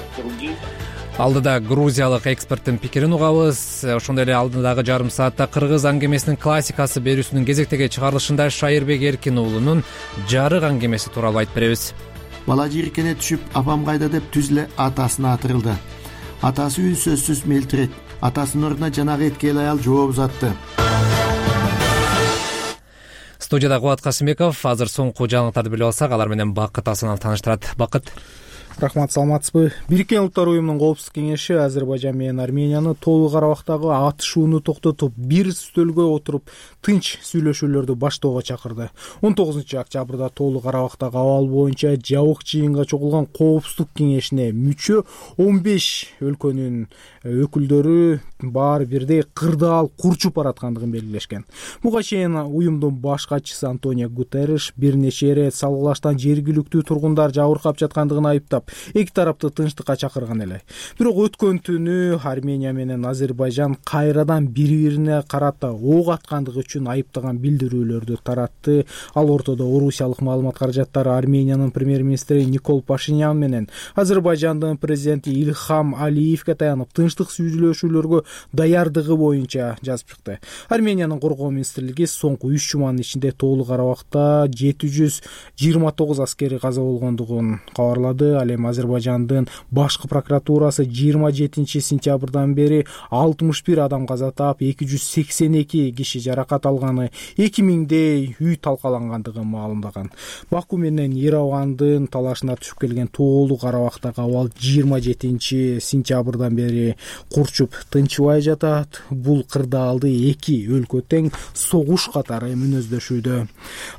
Алдыда грузиялык эксперттин пикирин угабыз. Ошондой эле алдыдагы жарым саатта кыргыз аңгемесинин классикасы берүүсүнүн кезектеги чыгарылышында Шайырбек Эркин уулунун жарык аңгемеси тууралуу айтып беребиз. Бала жийиркене түшүп, апам кайда деп түз эле атасына атырылды. Атасы үнсөзсүз мелтирет. Атасынын ордуна жанагы эткел аял жооп узатты. Студияда Кубат Касымбеков. Азыр соңку жаңылыктарды билип алсак, алар менен Бакыт Асанов тааныштырат. Бакыт. Рахмат, саламатсызбы? Бириккен Улуттар уюмунун коопсуздук кеңеши Азербайжан менен Арменияны толук арабактагы атышууну токтотуп, бир стөлгө отуруп, тынч сүйлөшүүлөрдү баштоого чакырды. 19 октябрда толук арабактагы абал боюнча жабык жыйынга чогулган коопсуздук кеңешине мүчө 15 өлкөнүн өкүлдөрү баары бирдей кырдаал курчуп бараткандыгын белгилешкен. Буга чейин уюмдун баш катчысы Антонио Гутерриш бир нече ирет салгылаштан жергиликтүү тургундар жабыркап жаткандыгын айыптап, эки тарапты тынчтыкка чакырган эле. Бирок өткөн түнү Армения менен Азербайжан кайрадан бири-бирине карата ок аткандыгы үчүн айыптаган билдирүүлөрдү таратты. Ал ортодо Орусиялык маалымат каражаттары Армениянын премьер-министри Никол Пашинян менен Азербайжандын президенти Ильхам Алиевге таянып, тынчтык сүйлөшүүлөргө даярдыгы боюнча жазып чыкты. Армениянын коргоо министрлиги соңку 3 жуманын ичинде толук арабакта 729 аскери каза болгондугун кабарлады. Ал эми Азербайжандын башкы прокуратурасы 27 сентябрдан бери 61 адам каза таап, 282 киши жаракат алганы, 2000дей үй талкалангандыгын маалымдаган. Баку менен Еревандын талашына түшүп келген толук арабактагы абал 27 сентябрдан бери курчуп тынчыбай жатат. Бул кырдаалды эки өлкө тең согуш катары мүнөздөшүүдө.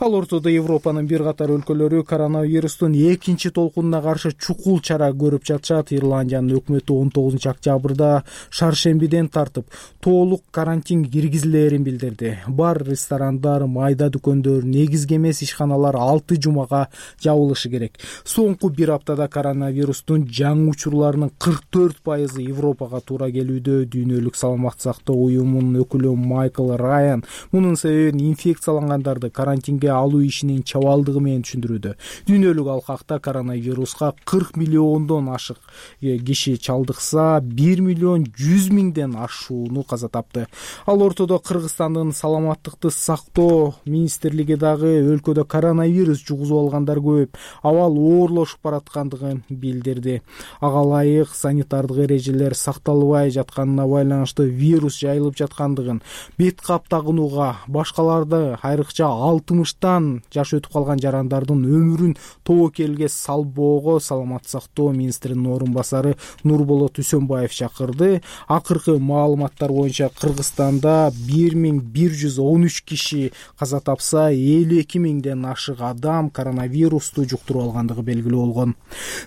Ал ортодо Европанын бир катар өлкөлөрү коронавирустун экинчи толкунуна каршы чукул чара көрүп жатышат. Ирландиянын өкмөтү 19 октябрда шаршембиден тартып толук карантин киргизилерин билдирди. Бар ресторандар, майда дүкөндөр, негизги эмес ишканалар 6 жумага жабылышы керек. Соңку бир аптада коронавирустун жаңы учурларынын 44% Европага туура келүүдө. Дүйнөлүк саламаттык сактоо уюмунун өкүлү Майкл Райан мунун себебин инфекциялангандарды карантинге алуу ишинин чабалдыгы менен түшүндүрүүдө. Дүйнөлүк алкакта коронавируска 40 миллиондон ашык киши чалдыкса, 1 миллион 100 миңден ашууну каза тапты. Ал ортодо Кыргызстандын саламаттыкты сактоо министрлиги дагы өлкөдө коронавирус жугузуп алгандар көп, абал оорлошуп бараткандыгын билдирди. Ага ылайык санитардык эрежелер сакталбай жатканына байланыштуу вирус жайылып жаткандыгын, бет кап тагынууга, башкаларды айрыкча 60тан жаш өтүп калган жарандардын өмүрүн тобокелге салбоого саламаттык сактоо министринин орун басары Нурболот Үсөнбаев чакырды. Акыркы маалыматтар боюнча Кыргызстанда 1113 киши каза тапса, 52 миңден ашык адам коронавирусту жуктуруп алгандыгы белгилүү болгон.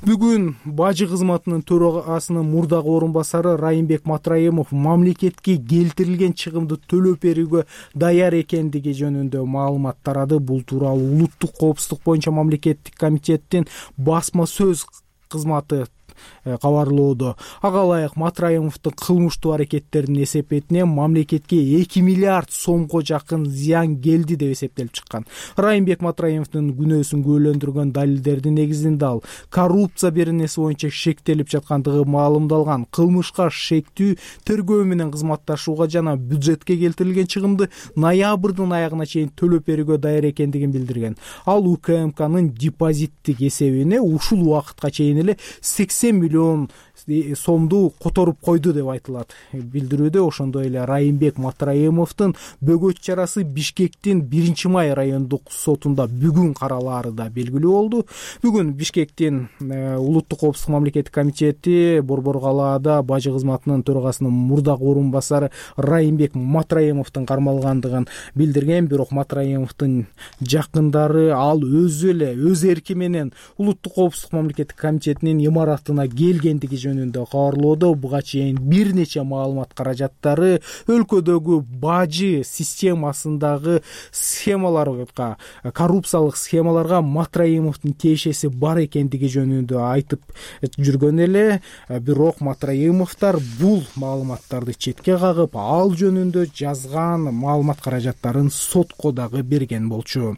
Бүгүн Бажы кызматынын төрагасынын мурдагы орун басары Райымбек Матраимов матраимов мамлекетке келтирилген чыгымды төлөп берүүгө даяр экендиги жөнүндө маалымат тарады. Бул тууралуу улуттук коопсуздук боюнча мамлекеттик комитеттин басма сөз кызматы кабарлоодо. Ага ылайык Матраимовдун кылмыштуу аракеттеринин эсепетинен мамлекетке 2 миллиард сомго жакын зыян келди деп эсептелип чыккан. Райымбек Матраимовдун күнөөсүн күбөлөндүргөн далилдердин негизинде ал коррупция беренеси боюнча шектелип жаткандыгы маалымдалган. Кылмышка шектүү тергөө менен кызматташууга жана бюджетке келтирилген чыгымды ноябрдын аягына чейин төлөп берүүгө даяр экендигин билдирген. Ал УКМКнын депозиттик эсебине ушул убакытка чейин эле 80 миллион сомду которуп койду деп айтылат. Билдирүүдө ошондой эле Райымбек Матраимовдун бөгөт чарасы Бишкектин 1-май райондук сотунда бүгүн каралаары да белгилүү болду. Бүгүн Бишкектин улуттук коопсуздук мамлекеттик комитети Борбор калаада бажы кызматынын төрагасынын мурдагы орун басары Райымбек Матраимовдун кармалгандыгын билдирген. Бирок Матраимовдун жакындары ал өзү эле өз эрки менен улуттук коопсуздук мамлекеттик комитетинин имаратына келгендиги жөнүндө кабарлоодо. Буга чейин бир нече маалымат каражаттары өлкөдөгү бажы системасындагы схемаларга, коррупциялык схемаларга Матраимовдун тиешеси бар экендиги жөнүндө айтып жүргөн эле. Бирок Матраимовдор бул маалыматтарды четке кагып, ал жөнүндө жазган маалымат каражаттарын сотко дагы берген болчу.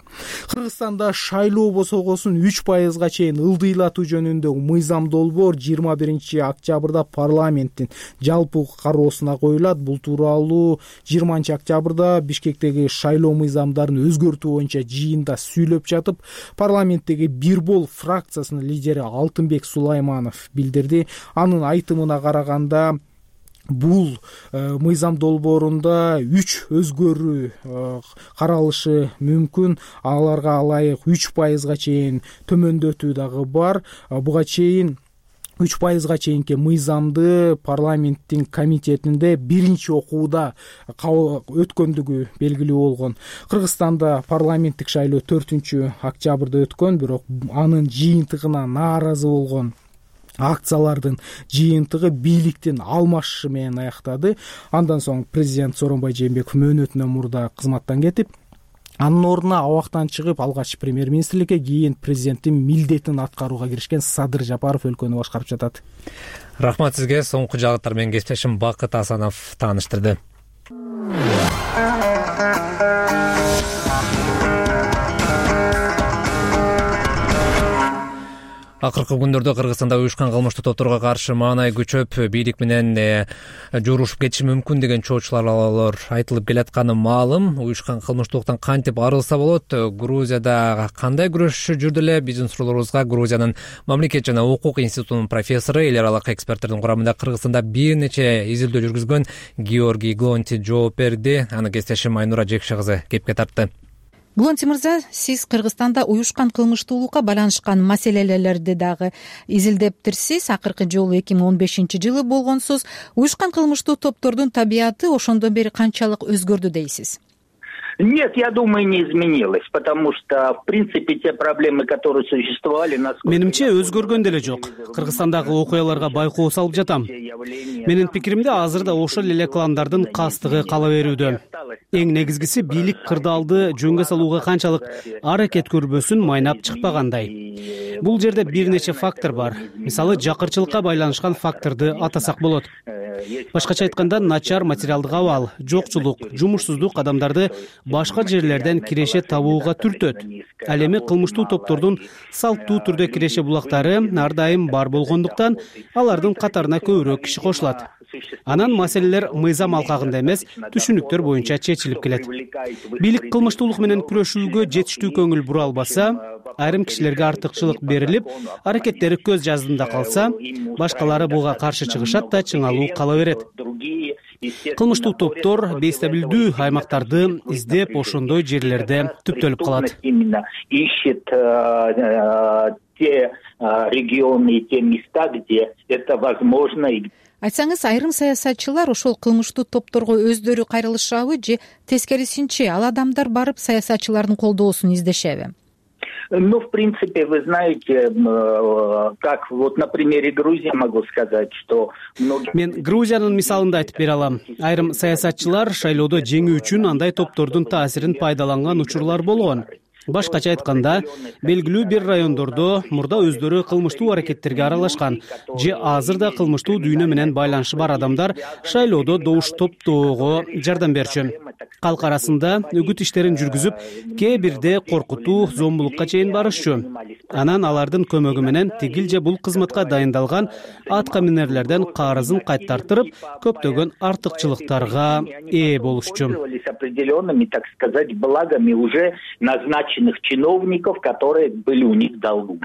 Кыргызстанда шайлоо босогосун 3%га чейин ылдыйлатуу жөнүндө мыйзам долбоор 21-октябрда парламенттин жалпы кароосуна коюлат. Бул тууралуу 20-октябрда Бишкектеги шайлоо мыйзамдарын өзгөртүү боюнча жыйында сүйлөп жатып, парламенттеги Бир бол фракциясынын лидери Алтынбек Сулайманов билдирди. Анын айтымына караганда, бул мыйзам долбоорунда 3 өзгөрүү каралышы мүмкүн. Аларга ылайык 3%га чейин төмөндөтүү дагы бар. Буга чейин 3%га чейинки мыйзамды парламенттин комитетинде биринчи окууда өткөндүгү белгилүү болгон. Кыргызстанда парламенттик шайлоо 4-октябрда өткөн, бирок анын жыйынтыгына нааразы болгон акциялардын жыйынтыгы бийликтин алмашышы менен аяктады. Андан соң президент Сооронбай Жээнбеков мөөнөтүнөн мурда кызматтан кетип, анын ордуна абактан чыгып, алгач премьер-министрликке, кийин президенттин милдетин аткарууга киришкен Садыр Жапаров өлкөнү башкарып жатат. Рахмат сизге. Соңку жагыттар менен кесиптешим Бакыт Асанов тааныштырды. Акыркы күндөрдө Кыргызстанда уюшкан кылмыштуу топторго каршы маанай күчөп, бийлик менен жуурушуп кетиши мүмкүн деген чоочулар айтылып келатканы маалым. Уюшкан кылмыштуулуктан кантип арылса болот? Грузияда кандай күрөшүшү жүрдү эле? Биздин суроолорубузга Грузиянын мамлекет жана укук институтунун профессору, эл аралык эксперттердин курамында Кыргызстанда бир нече изилдөө жүргүзгөн Георгий Глонти жооп берди. Аны кесиптешим Айнура Жекше кызы кепке тартты. Глонти мырза, сиз Кыргызстанда уюшкан кылмыштуулукка байланышкан маселелерди дагы изилдептирсиз. Акыркы жолу 2015-жылы болгонсуз. Уюшкан кылмыштуу топтордун табияты ошондон бери канчалык өзгөрдү дейсиз? Нет, я думаю, не изменилось, потому что, в принципе, те проблемы, которые существовали... Менимче өзгөргөн деле жок. Кыргызстандагы окуяларга байкоо салып жатам. Менин пикиримде азыр да ошол эле кландардын кастыгы кала берүүдө. Эң негизгиси бийлик кырдаалды жөнгө салууга канчалык аракет көрбөсүн майнап чыкпагандай. Бул жерде бир нече фактор бар. Мисалы, жакырчылыкка байланышкан факторду атасак болот. Башкача айтканда, начар материалдык абал, жокчулук, жумушсуздук адамдарды башка жерлерден киреше табууга түртөт. Ал эми кылмыштуу топтордун салттуу түрдө киреше булактары ар дайым бар болгондуктан алардын катарына көбүрөөк киши кошулат. Анан маселелер мыйзам алкагында эмес, түшүнүктөр боюнча чечилип келет. Бийлик кылмыштуулук менен күрөшүүгө жетиштүү көңүл бура албаса, айрым кишилерге артыкчылык берилип, аракеттери көз жаздында калса, башкалары буга каршы чыгышат да чыңалуу кала берет. Кылмыштуу топтор бейстабилдүү аймактарды издеп, ошондой жерлерде түптөлүп калат. Ищет те регионы и те места, где это возможно. Айтсаңыз, айрым саясатчылар ошол кылмыштуу топторго өздөрү кайрылышабы же тескерисинче ал адамдар барып саясатчылардын колдоосун издешеби? В принципе, вы знаете, как вот на примере Грузии могу сказать, что мен Грузиянын мисалында айтып бере алам. Айрым саясатчылар шайлоодо жеңүү үчүн андай топтордун таасирин пайдаланган учурлар болгон. Башкача айтканда, белгилүү бир райондордо мурда өздөрү кылмыштуу аракеттерге аралашкан же азыр да кылмыштуу дүйнө менен байланышы бар адамдар шайлоодо добуш топтоого жардам берчү. Калк арасында үгүт иштерин жүргүзүп, кээ бирде коркутуу, зомбулукка чейин барышчу. Анан алардын көмөгү менен тигил же бул кызматка дайындалган атка минерлерден карызын кайтартырып, көптөгөн артыкчылыктарга ээ болушчу. Определенными, так сказать, благами уже назначенных чиновников, которые были у них в долгу.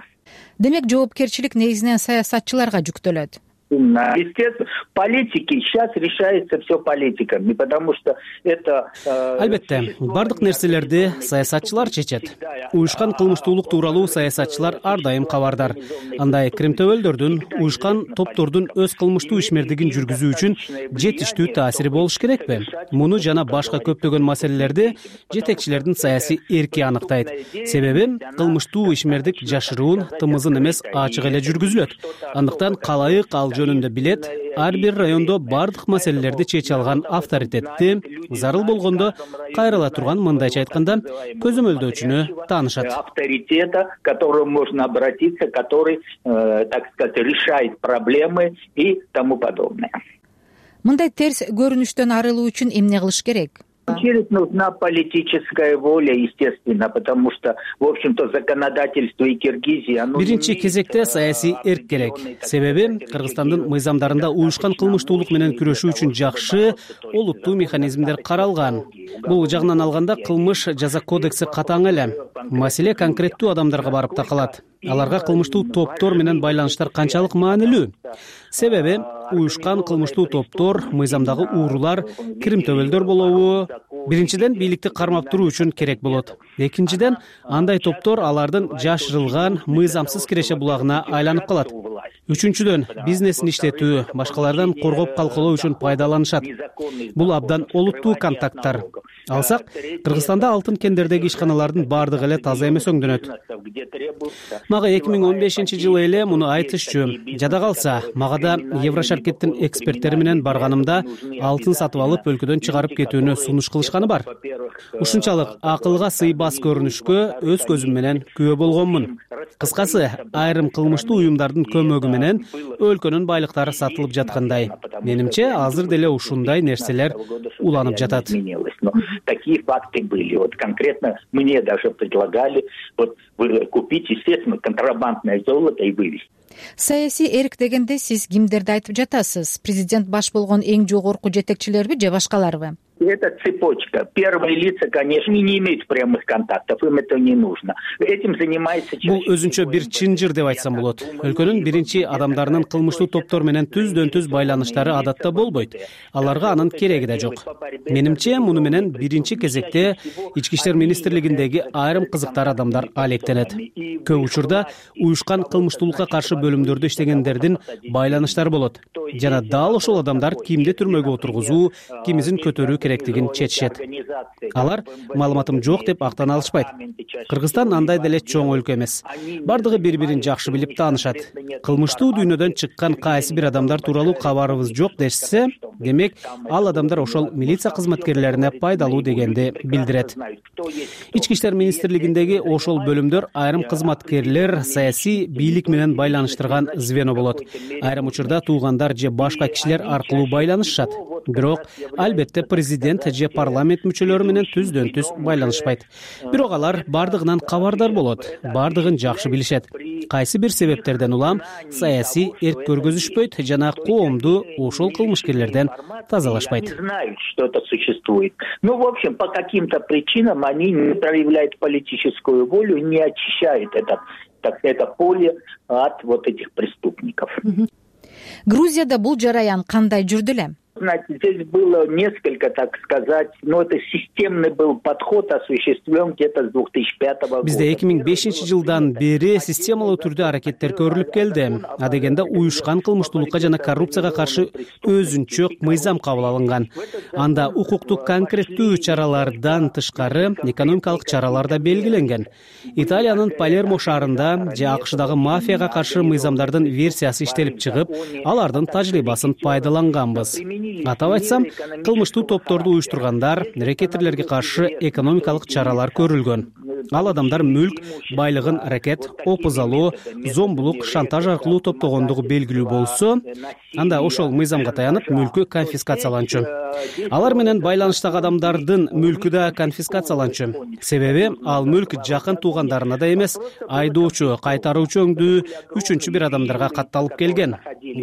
Демек, жоопкерчилик негизинен саясатчыларга жүктөлөт. Естественно, политики сейчас решается все политиками, потому что это... Албетте, бардык нерселерди саясатчылар чечет. Уюшкан кылмыштуулук тууралуу саясатчылар ар дайым кабардар. Андай кримтөбөлдөрдүн, уюшкан топтордун өз кылмыштуу ишмердигин жүргүзүү үчүн жетиштүү таасири болуш керекпи? Муну жана башка көптөгөн маселелерди жетекчилердин саясий эрки аныктайт. Себеби кылмыштуу ишмердик жашыруун, тымызын эмес ачык эле жүргүзүлөт. Андыктан калайык ал жөнүндө билет, ар бир райондо бардык маселелерди чече алган авторитетти, зарыл болгондо кайрыла турган, мындайча айтканда, көзөмөлдөөчүнү таанышат. Авторитета, к которому можно обратиться, который, так сказать, решает проблемы и тому подобное. Мындай терс көрүнүштөн арылуу үчүн эмне кылыш керек? Через нужна политическая воля, естественно, потому что, в общем-то, законодательство и Киргизии... Биринчи кезекте саясий эрк керек. Себеби Кыргызстандын мыйзамдарында уюшкан кылмыштуулук менен күрөшүү үчүн жакшы, олуттуу механизмдер каралган. Бул жагынан алганда кылмыш жаза кодекси катаң эле. Маселе конкреттүү адамдарга барып такалат. Аларга кылмыштуу топтор менен байланыштар канчалык маанилүү? Себеби уюшкан кылмыштуу топтор мыйзамдагы уурулар, кирим-төбөлдөр болобу? Биринчиден, бийликти кармап туруу үчүн керек болот. Экинчиден, андай топтор алардын жашырылган, мыйзамсыз киреше булагына айланып калат. Үчүнчүдөн, бизнесин иштетүү, башкалардан коргоп калкалоо үчүн пайдаланышат. Бул абдан олуттуу контакттар. Алсак, Кыргызстанда алтын кендердеги ишканалардын бардыгы эле таза эмес өңдөнөт. Мага 2015-жылы эле муну айтышчу. Жада калса, мага да Еврошаркеттин эксперттери менен барганымда алтын сатып алып өлкөдөн чыгарып кетүүнү сунуш кылышканы бар. Ушунчалык акылга сыйбас көрүнүшкө өз көзүм менен күбө болгонмун. Кыскасы, айрым кылмыштуу уюмдардын көмөгү менен өлкөнүн байлыктары сатылып жаткандай. Менимче, азыр деле ушундай нерселер уланып жатат. Такие факты были. Вот конкретно мне даже предлагали купить, естественно, контрабандное золото и вывезти. Саясий эрк дегенде сиз кимдерди айтып жатасыз? Президент баш болгон эң жогорку жетекчилерби же башкаларбы? Это цепочка. Первые лица, конечно, не имеют прямых контактов, им это не нужно. Этим занимается... Бул өзүнчө бир чынжыр деп айтсам болот. Өлкөнүн биринчи адамдарынын кылмыштуу топтор менен түздөн-түз байланыштары адатта болбойт. Аларга анын кереги да жок. Менимче, муну менен биринчи кезекте Ички иштер министрлигиндеги айрым кызыктар адамдар алектенет. Көп учурда уюшкан кылмыштуулукка каршы бөлүмдөрдө иштегендердин байланыштары болот. Жана дал ошол адамдар кимди түрмөгө отургузуу, кимизин көтөрүү керектигин чечишет. Алар маалыматым жок деп актана алышпайт. Кыргызстан андай деле чоң өлкө эмес. Бардыгы бири-бирин жакшы билип таанышат. Кылмыштуу дүйнөдөн чыккан кайсы бир адамдар тууралуу кабарыбыз жок дешсе, демек ал адамдар ошол милиция кызматкерлерине пайдалуу дегенди билдирет. Ички иштер министрлигиндеги ошол бөлүмдөр айрым кызматкерлер саясий бийлик менен байланыштырган звено болот. Айрым учурда туугандар же башка кишилер аркылуу байланышышат. Бирок албетте президент же парламент мүчөлөрү менен түздөн-түз байланышпайт. Бирок алар бардыгынан кабардар болот, бардыгын жакшы билишет. Кайсы бир себептерден улам саясий эрк көргөзүшпөйт жана коомду ошол кылмышкерлерден тазалашпайт. Знают, что это существует. Ну, в общем, по каким-то причинам они не проявляют политическую волю, не очищают это поле от вот этих преступников. Грузияда бул жараян кандай жүрдү эле? Знаете, здесь было несколько, так сказать, но это системный был подход осуществлен где-то с 2005 года. Бизде 2005 жылдан бери системалуу түрдө аракеттер көрүлүп келди. Адегенде уюшкан кылмыштуулукка жана коррупцияга каршы өзүнчө мыйзам кабыл алынган. Анда укуктук конкреттүү чаралардан тышкары экономикалык чаралар да белгиленген. Италиянын Палермо шаарында же АКШдагы мафияга каршы мыйзамдардын версиясы иштелип чыгып, алардын тажрыйбасын пайдаланганбыз. Атап айтсам, кылмыштуу топторду уюштургандар, рекетирлерге каршы экономикалык чаралар көрүлгөн. Ал адамдар мүлк, байлыгын ракет, опуз алуу, зомбулук, шантаж аркылуу топтогондугу белгилүү болсо, анда ошол мыйзамга таянып мүлкү конфискацияланчу. Алар менен байланыштагы адамдардын мүлкү да конфискацияланчу. Себеби ал мүлк жакын туугандарына да эмес, айдоочу, кайтаруучу өңдүү үчүнчү бир адамдарга катталып келген.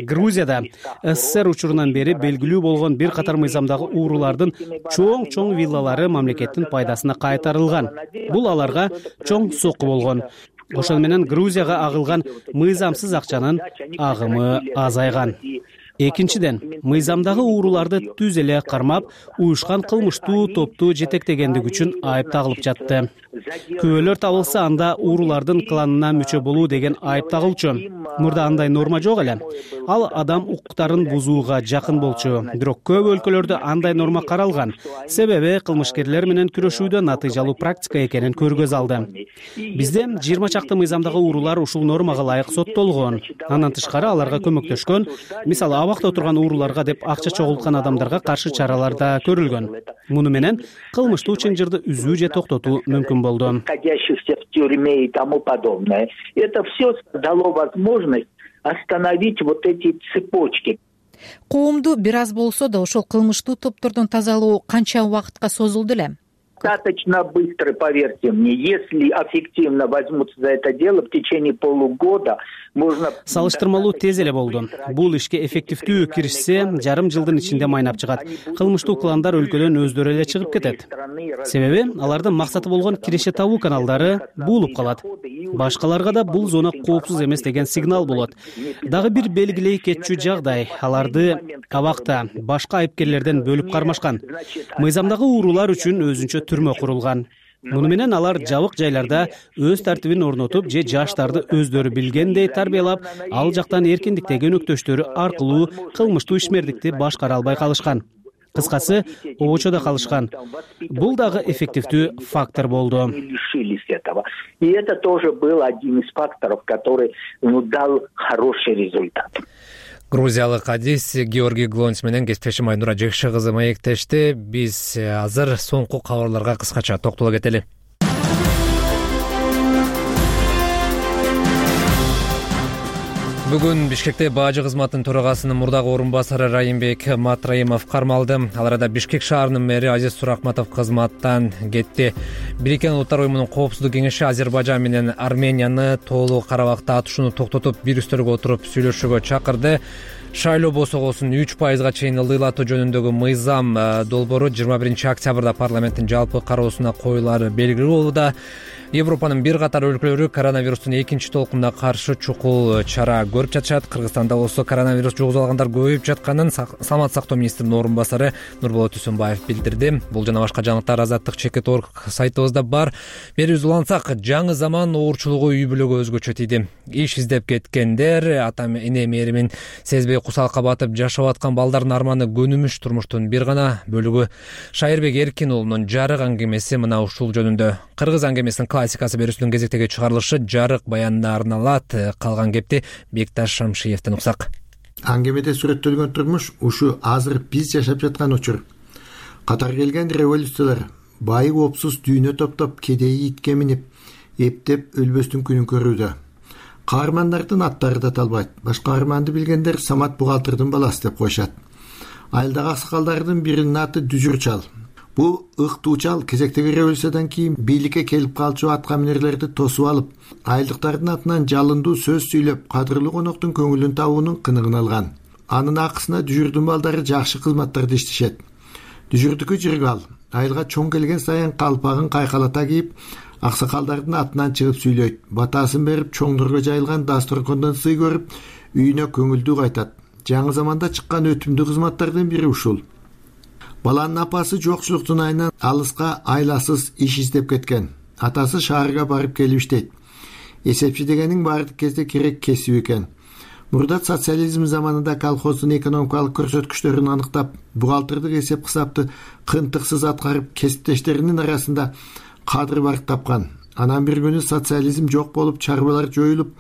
Грузияда СССР учурунан бери белгилүү болгон бир катар мыйзамдагы уурулардын чоң виллалары мамлекеттин пайдасына кайтарылган. Бул аларга чоң сокку болгон. Ошол менен Грузияга агылган мыйзамсыз акчанын агымы азайган. Экинчиден, мыйзамдагы ууруларды түз эле кармап, уюшкан кылмыштуу топту жетектегендиги үчүн айып тагылып жатты. Күбөлөр табылса, анда уурулардын кланына мүчө болуу деген айып тагылчу. Мурда андай норма жок эле. Ал адам укуктарын бузууга жакын болчу. Бирок көп өлкөлөрдө андай норма каралган. Себеби кылмышкерлер менен күрөшүүдө натыйжалуу практика экенин көргөз алды. Бизде 20 чакты мыйзамдагы уурулар ушул нормага ылайык соттолгон. Андан тышкары аларга көмөктөшкөн, мисалы абакта отурган ууруларга деп акча чогулткан адамдарга каршы чаралар да көрүлгөн. Муну менен кылмыштуу чынжырды үзүү же токтотуу мүмкүн болду. Находящихся в тюрьме и тому подобное. Это все дало возможность остановить вот эти цепочки. Коомду бир аз болсо да ошол кылмыштуу топтордон тазалоо канча убакытка созулду эле? Достаточно быстро, поверьте мне. Если эффективно возьмутся за это дело, в течение полугода можно... Салыштырмалуу тез эле болду. Бул ишке эффективдүү киришсе, жарым жылдын ичинде майнап чыгат. Кылмыштуу кландар өлкөдөн өздөрү эле чыгып кетет. Себеби алардын максаты болгон киреше табуу каналдары буулуп калат. Башкаларга да бул зона коопсуз эмес деген сигнал болот. Дагы бир белгилей кетчү жагдай, аларды абакта башка айыпкерлерден бөлүп кармашкан. Мыйзамдагы уурулар үчүн өзүнчө түрмө курулган. Муну менен алар жабык жайларда өз тартибин орнотуп же жаштарды өздөрү билгендей тарбиялап, ал жактан эркиндиктеги өнөктөштөрү аркылуу кылмыштуу ишмердикти башкара албай калышкан. Кыскасы, обочодо калышкан. Бул дагы эффективдүү фактор болду. И это тоже был один из факторов, который дал хороший результат. Грузиялык адис Георгий Глонц менен кесиптешим Айнура Жекши кызы маектешти. Биз азыр соңку кабарларга кыскача токтоло кетели. Бүгүн Бишкекте бажы кызматынын төрагасынын мурдагы орун басары Райымбек Матраимов кармалды. Ал арада Бишкек шаарынын мэри Азиз Суракматов кызматтан кетти. Бириккен Улуттар уюмунун коопсуздук кеңеши Азербайжан менен Арменияны тоолуу Карабакта атышууну токтотуп, бир үстөлгө отуруп сүйлөшүүгө чакырды. Шайлоо босогосун 3%га чейин ылдыйлатуу жөнүндөгү мыйзам долбоору 21 октябрда парламенттин жалпы кароосуна коюлары белгилүү болууда. Европанын бир катар өлкөлөрү коронавирустун экинчи толкунуна каршы чукул чара көрүп жатышат. Кыргызстанда болсо коронавирус жугузуп алгандар көбөйүп жатканын Саламат сактоо министринин орун басары Нурболот Үсөнбаев билдирди. Бул жана башка жаңылыктар Азаттык.org сайтыбызда бар. Берүүбүз улансак, жаңы заман оорчулугу үй бүлөгө өзгөчө тийди. Иш издеп кеткендер, атам эне мээримин сезбей кусалыкка батып жашап аткан балдардын арманы көнүмүш турмуштун бир гана бөлүгү. Шайырбек Эркин уулунун жарык аңгемеси мына ушул жөнүндө. Кыргыз аңгемесинин классикасы берүүсүнүн кезектеги чыгарылышы жарык баянына арналат. Калган кепти Бекташ Шамшиевден уксак. Аңгемеде сүрөттөлгөн турмуш ушу азыр биз жашап жаткан учур. Катар келген революциялар бай опсуз дүйнө топтоп, кедейи итке минип, эптеп өлбөстүн күнүн көрүүдө. Каармандардын аттары да талбайт. Башка каарманды билгендер Самат бухгалтердин баласы деп коюшат. Айылдагы аксакалдардын биринин аты Дүжүрчал. Бул ыктуучал кезектеги революциядан кийин бийликке келип калчу аткаминерлерди тосуп алып, айылдыктардын атынан жалындуу сөз сүйлөп, кадырлуу коноктун көңүлүн табуунун кыныгын алган. Анын акысына Дүжүрдүн балдары жакшы кызматтарды иштешет. Дүжүрдүкү жыргал айылга чоң келген сайын калпагын кайкалата кийип, аксакалдардын атынан чыгып сүйлөйт. Батасын берип, чоңдорго жайылган дасторкондон сый көрүп, үйүнө көңүлдүү кайтат. жаңы заманда чыккан өтүмдүү кызматтардын бири ушул. Баланын апасы жокчулуктун айынан алыска айласыз иш издеп кеткен. Атасы шаарга барып келип иштейт. Эсепчи дегенин бардык кезде керек кесип экен. Мурдат социализм заманында колхоздун экономикалык көрсөткүчтөрүн аныктап, бухгалтердик эсеп-кысапты кынтыксыз аткарып, кесиптештеринин арасында кадыр барк тапкан. Анан бир күнү социализм жок болуп, чарбалар жоюлуп,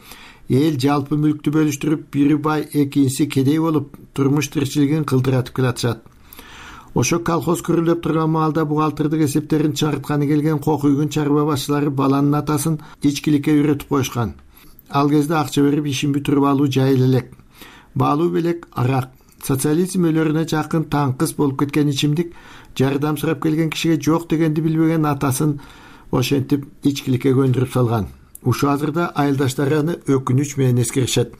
эл жалпы мүлктү бөлүштүрүп, бири бай, экинчиси кедей болуп, турмуш тиричилигин кылдыратып келатышат. Ошо колхоз күрөлөп турган маалда бухгалтердик эсептерин чыгартканы келген кокуйгун чарба башчылары баланын атасын ичкиликке үйрөтүп коюшкан. Ал кезде акча берип ишин бүтүрүп алуу жайыл элек. Баалуу белек арак. Социализм өлөрүнө жакын таңкыс болуп кеткен ичимдик жардам сурап келген кишиге жок дегенди билбеген атасын ошентип ичкиликке көндүрүп салган. Ушу азырда айылдаштары аны өкүнүч менен эскеришет.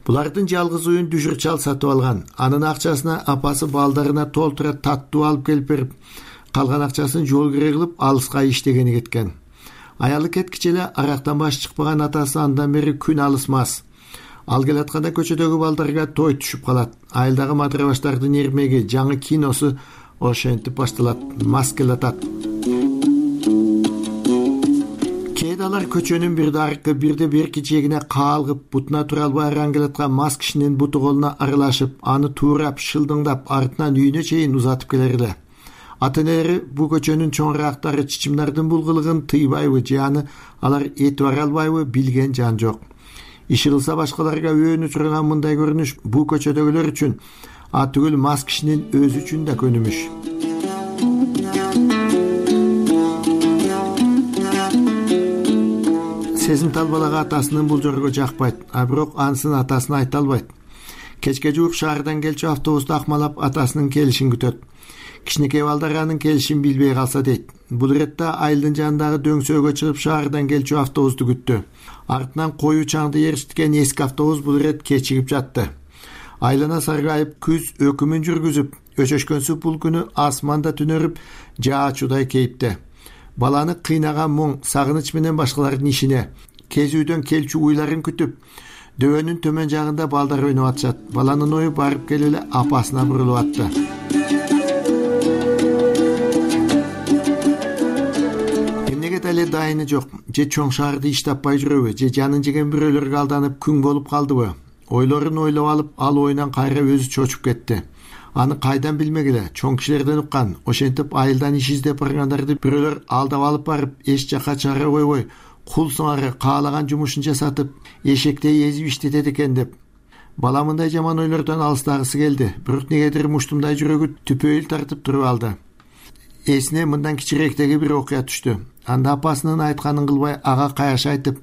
Булардын жалгыз уюн дүжүр чал сатып алган. Анын акчасына апасы балдарына толтура таттуу алып келип берип, калган акчасын жол кире кылып алыска иштегени кеткен. Аялы кеткиче эле арактан баш чыкпаган атасы андан бери күн алысмас. Ал келатканда көчөдөгү балдарга той түшүп калат. Айылдагы матырабаштардын эрмеги, жаңы киносу ошентип башталат. Мас келатат. Кээде алар көчөнүн бирде аркы, бирде берки жегине каалгып, бутуна тура албай араң келаткан мас кишинин буту колуна аралашып, аны туурап, шылдыңдап, артынан үйүнө чейин узатып келер эле. Ата-энелери бу көчөнүн чоңураактары чичимдардын бул кылыгын тыйбайбы же аны алар эти бара албайбы билген жан жок. Иши кылса башкаларга өөнү турган мындай көрүнүш бу көчөдөгүлөр үчүн, түгүл мас кишинин өзү үчүн да көнүмүш. Сезимтал балага атасынын бул жорго жакпайт, бирок ансын атасына айта албайт. Кечке жуук шаардан келчү автобусту акмалап атасынын келишин күтөт. Кичинекей балдар анын келишин билбей калса дейт. Бул иретте айылдын жанындагы дөңсөөгө чыгып шаардан келчү автобусту күттү. Артынан коюу чаңды ээрчиткен эски автобус бул ирет кечигип жатты. Айлана саргайып, күз өкүмүн жүргүзүп, өчөшкөнсү бул күнү асманда түнөрүп, жаачудай кейипте. Баланы кыйнаган муң, сагыныч менен башкалардын ишине, кезүүдөн келчү уйларын күтүп, дөбөнүн төмөн жагында балдар ойноп атышат. Баланын ою барып келип эле апасына бурулуп атты. Эле дайыны жок, же чоң шаарды иш таппай жүрөбү, же жанын жеген бирөөлөргө алданып күң болуп калдыбы? Ойлорун ойлоп алып, ал оюнан кайра өзү чочуп кетти. Аны кайдан билмегиле, чоң кишилерден уккан. Ошентип айылдан иш издеп баргандарды бирөөлөр алдап алып барып, эч жака чара койбой, кул сыңары каалаган жумушун жасатып, эшектей эзип иштетет экен деп. Бала мындай жаман ойлордон алыстагысы келди, бирок негедир муштумдай жүрөгү түпөйүл тартып туруп алды. Эсине мындан кичирээктеги бир окуя түштү. Анда апасынын айтканын кылбай ага каяш айтып,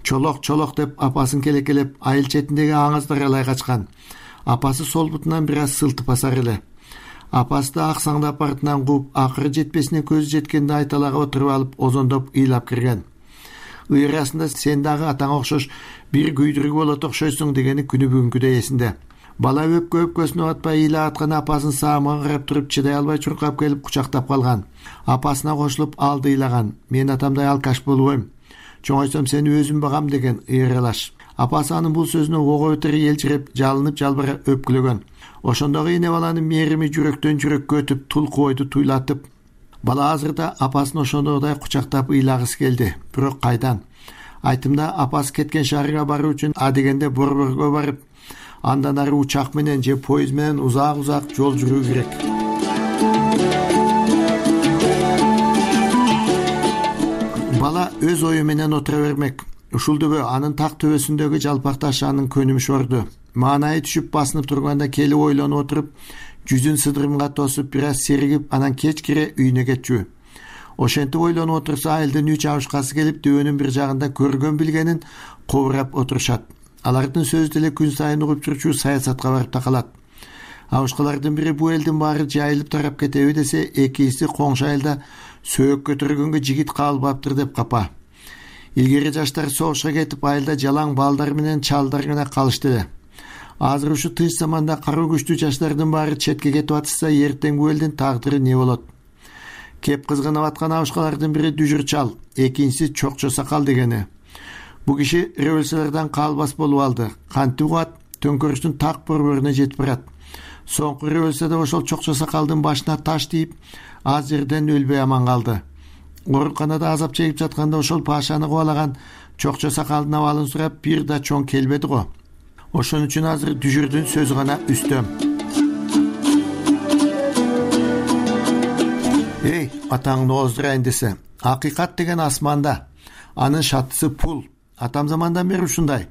чолок деп апасын келекелеп, айыл четиндеги аңыздар алай качкан. Апасы сол бутунан бир аз сылтып басар эле. Апасы да аксаңдап артынан кууп, акыры жетпесине көзү жеткенде айталага отуруп алып, озондоп ыйлап кирген. Ыйрасында сен дагы атаңа окшош бир күйдүрүк болот окшойсуң дегени күнү бүгүнкүдөй эсинде. Бала өпкөсүнө атпай ыйлап аткан апасын саамга карап туруп чыдай албай чуркап келип кучактап калган. Апасына кошулуп алды ыйлаган. Мен атамдай алкаш болбойм. Чоңойсом сени өзүм багам деген ыйралаш. Апасы анын бул сөзүнө ого бетер элчиреп, жалынып жалбыра өпкүлөгөн. Ошондогу эне баланын мерими жүрөктөн жүрөккө өтүп, тулку ойду туйлатып. Бала азырда апасын ошондогудай кучактап ыйлагысы келди. Бирок кайдан? Айтымда апасы кеткен шаарга баруу үчүн адегенде Борборго барып, андан ары учак менен же поезд менен узак жол жүрүү керек. Бала өз ою менен отура бермек. Ушул дөбө анын так төбөсүндөгү жалпак таш анын көнүмүш орду. Маанайы түшүп басынып турганда келип ойлонуп отуруп, жүзүн сыдырымга тосуп, бир аз серигип, анан кечкире үйүнө кетчү. Ошентип ойлонуп отурса, айылдын 3 абышкасы келип, дөбөнүн бир жагында көргөн билгенин кобурап отурушат. Алардын сөзү деле күн сайын угуп жүрчү саясатка барып такалат. Абышкалардын бири бу элдин баары жайылып тарап кетеби десе, экинчиси коңшу айылда сөөк көтөргөнгө жигит кабылбаптыр деп капа. Илгери жаштар согушка кетип, айылда жалаң балдар менен чалдар гана калышты эле. Азыр ушу тынч заманда каруу күчтүү жаштардын баары четке кетип атышса, эртең бу элдин тагдыры не болот? Кеп кызгынып аткан абышкалардын бири Дүжүр чал, экинчиси Чокчо сакал дегени. Бу киши революциялардан калбас болуп алды. Кантип угат, төңкөрүштүн так борборуна жетип барат. Соңку революцияда ошол чокчо сакалдын башына таш тийип, аз жерден өлбөй аман калды. Ооруканада азап чегип жатканда ошол пашаны кубалаган чокчо сакалдын абалын сурап бир да чоң келбеди го. Ошон үчүн азыр дүжүрдүн сөзү гана үстөм. Эй, атаңды оздурайын десе, акыйкат деген асманда, анын шаттысы пул. Атам замандан бери ушундай.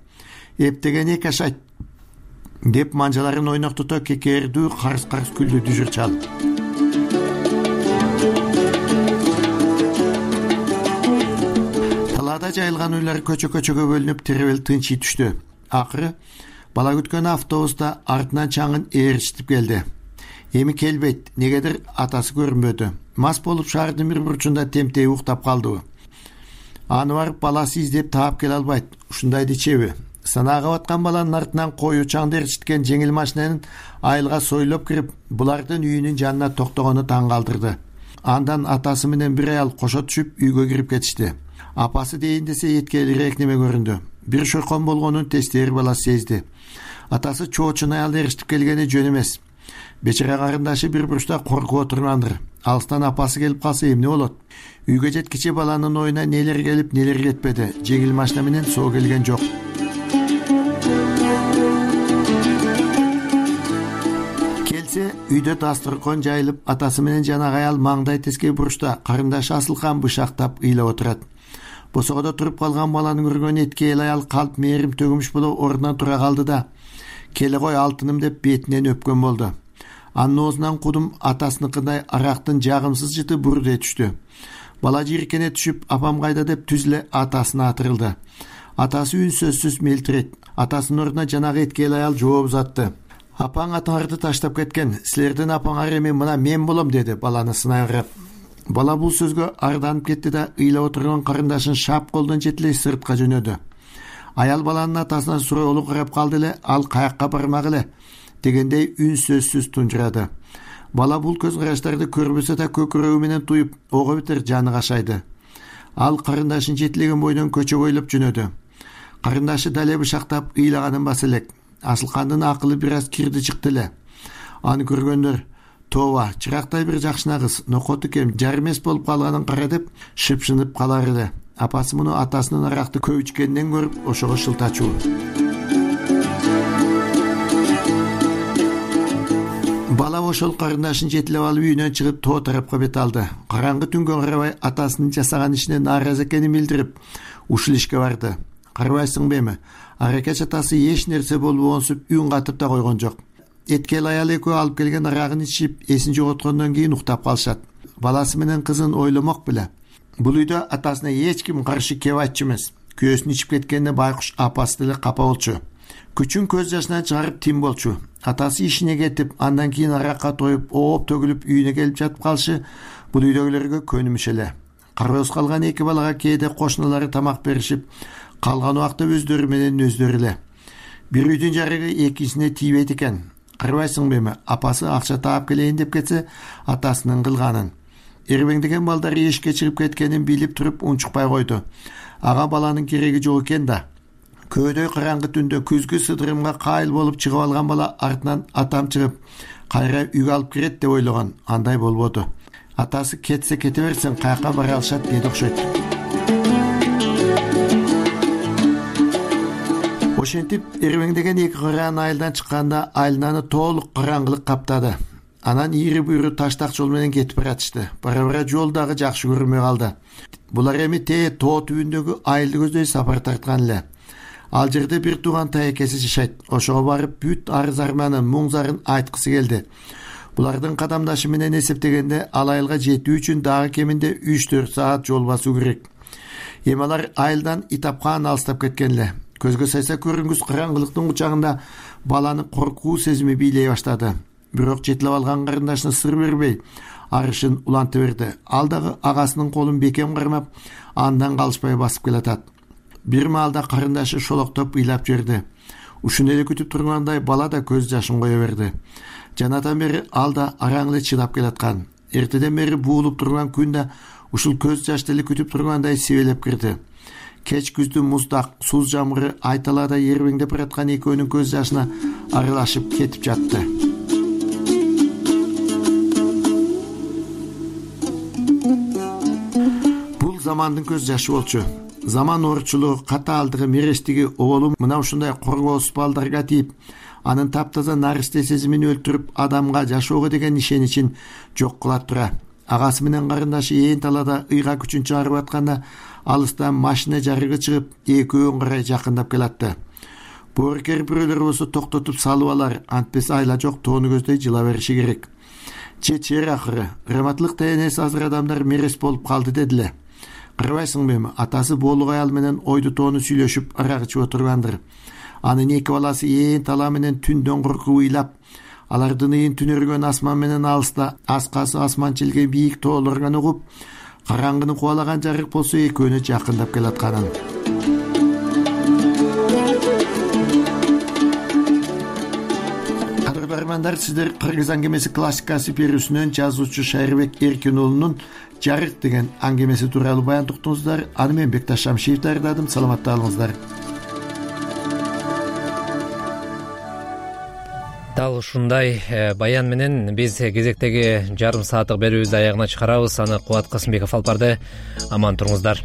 Эптеген эки ашайт деп манжаларын ойноктото кекердүү карс-карс күлдү дүжүр чал. Талаада жайылган үйлөр көчө-көчөгө бөлүнүп тербел тынчый түштү. Акыры бала күткөн автобуста артынан чаңын ээрчитип келди. Эми келбейт, негедир атасы көрүнбөдү. Мас болуп шаардын бир бурчунда темтей уктап калдыбы. Аны барып баласы издеп таап келе албайт. Ушундайды чеби. Санаага баткан баланын артынан кою чаңды ээрчиткен жеңил машинанын айылга сойлоп кирип, булардын үйүнүн жанына токтогону таң калтырды. Андан атасы менен бир аял кошо түшүп үйгө кирип кетишти. Апасы дейин десе эткелирээк неме көрүндү. Бир шойкон болгонун тестери бала сезди. Атасы чоочун аял ээрчитип келгени жөн эмес. Бечара карындашы бир бурчта коркуп отургандыр. Алыстан апасы келип калса эмне болот? Үйгө жеткиче баланын оюна нелер келип, нелер кетпеди. Жеңил машина менен соо келген жок. Келсе, үйдө дасторкон жайылып, атасы менен жанагы аял маңдай теске бурчта карындашы Асылкан бышактап ыйлап отурат. Босогодо туруп калган баланы көргөн эткел аял калп мээрим төгүмүш болуп ордунан тура калды да, келе кой алтыным деп бетинен өпкөн болду. Анын оозунан кудум атасыныкындай арактын жагымсыз жыты бурдей түштү. Бала жийиркене түшүп, апам кайда деп түзүлө атасына атырылды. Атасы үн сөзсүз мелтирет. Атасынын ордуна жанагы эткел аял жооп узатты. Апаң атаңарды таштап кеткен. Силердин апаңар эми мына мен болом, деди баланы сынай карап. Бала бул сөзгө арданып кетти да ыйлап отурган карындашын шап колдон жетелей сыртка жөнөдү. Аял баланын атасына суроолуу карап калды эле, ал каякка бармак эле дегендей үн сөзсүз тунжурады. Бала бул көз караштарды көрбөсө да көкүрөгү менен туюп, ого бетер жаны кашайды. Ал карындашын жетелеген бойдон көчө бойлоп жөнөдү. Карындашы дале бышактап ыйлаганын баса элек. Асылкандын акылы бир аз кирди чыкты эле. Аны көргөндөр тооба, чырактай бир жакшына кыз, нокоту кем, жар эмес болуп калганын кара деп шыпшынып калар эле. Апасы муну атасынын аракты көп ичкенинен көрүп, ошого шылтачуу. Бала ошол карындашын жетелеп алып үйүнөн чыгып тоо тарапка бет алды. Караңгы түнгө карабай атасынын жасаган ишине нааразы экенин билдирип, ушул ишке барды. Карабайсыңбы эми? Аракеч атасы эч нерсе болбогонсуп үн катып да койгон жок. Эткел аял экөө алып келген арагын ичип, эсин жоготкондон кийин уктап калышат. Баласы менен кызын ойломок беле. Бул үйдө атасына эч ким каршы кеп айтчу эмес. Күйөөсүн ичип кеткенине байкуш апасы деле капа болчу. Күчүн көз жашынан чыгарып тим болчу. Атасы ишине кетип, андан кийин аракка тоюп, ооп төгүлүп үйүнө келип жатып калышы бул үйдөгүлөргө көнүмүш эле. Кароосуз калган эки балага кээде кошуналары тамак беришип, калган убакта өздөрү менен өздөрү эле. Бир үйдүн жарыгы экинчисине тийбейт экен. Карабайсыңбы эми? Апасы акча таап келейин деп кетсе, атасынын кылганын. Эрбеңдеген балдары эшикке чыгып кеткенин билип туруп унчукпай койду. Ага баланын кереги жок экен да. Көөдөй караңгы түндө күзгү сыдырымга кайыл болуп чыгып алган бала артынан атам чыгып, кайра үйгө алып кирет деп ойлогон. Андай болбоду. Атасы кетсе кете берсин, каяка бара алышат деди окшойт. Ошентип, эрбеңдеген эки кыраан айылдан чыкканда айлананы толук караңгылык каптады. Анан ийри буйру таштак жол менен кетип баратышты. Бара-бара жол дагы жакшы көрүнбөй калды. Булар эми тоо түбүндөгү айылды көздөй сапар тарткан эле. Ал жерде бир тууган таекеси жашайт. Ошого барып бүт арыз-арманын, муң-зарын айткысы келди. Булардын кадамдашы менен эсептегенде ал айылга жетүү үчүн дагы кеминде 3-4 саат жол басуу керек. Эми алар айылдан Итапкан алыстап кеткен эле. Көзгө сайса көрүнгүс караңгылыктын кучагында баланы коркуу сезими бийлей баштады. Бирок жетилеп алган карындашына сыр бербей, арышын уланта берди. Ал дагы агасынын колун бекем кармап, андан калышпай басып келатат. Бир маалда карындашы шолоктоп ыйлап жиберди. Ушуну эле күтүп тургандай бала да көз жашын кое берди. Жанатан бери ал да араң эле чыдап келаткан. Эртеден бери буулуп турган күн да ушул көз жашты эле күтүп тургандай сибелеп кирди. Кеч күздү муздак суз жамгыры айталада эрбеңдеп бараткан экөөнүн көз жашына аралашып кетип жатты. Бул замандын көз жашы болчу. Заман оорчулугу, катаалдыгы, мерестиги оболу мына ушундай коргоосуз балдарга тийип, анын таптаза наристе сезимин өлтүрүп, адамга жашоого деген ишеничин жок кылат тура. Агасы менен карындашы ээн талада ыйга күчүн чыгарып атканда алыстан машина жарыгы чыгып, экөөнүн карай жакындап келатты. Боорукер бирөөлөр болсо токтотуп салып алар, антпес айла жок тоону көздөй жыла бериши керек. Чечер акыры, рематлык тенес азыр адамдар мерес болуп калды дедиле. Карабайсыңбы эми, атасы боолук аял менен ойду тоону сүйлөшүп арак ичип отургандыр. Анын эки баласы ээн тала менен түндөн коркуп ыйлап, алардын ыйын түнөргөн асман менен алыста аскасы асман чилген бийик тоолорган угуп, караңгыны кубалаган жарык болсо экөөнү жакындап келатканын. Кадырлуу армандар, сиздер Кыргыз аңгемеси классикасы берүүсүнөн жазуучу Шайырбек Эркин уулунун Жарык деген аңгемеси тууралуу баян уктуңуздар. Аны мен Бекташ Шамшиев даярдадым. Саламатта болуңуздар. Дал ушундай баян менен биз кезектеги жарым сааттык берүүбүздү аягына чыгарабыз. Аны Кубат Касымбеков алып барды. Аман туруңуздар.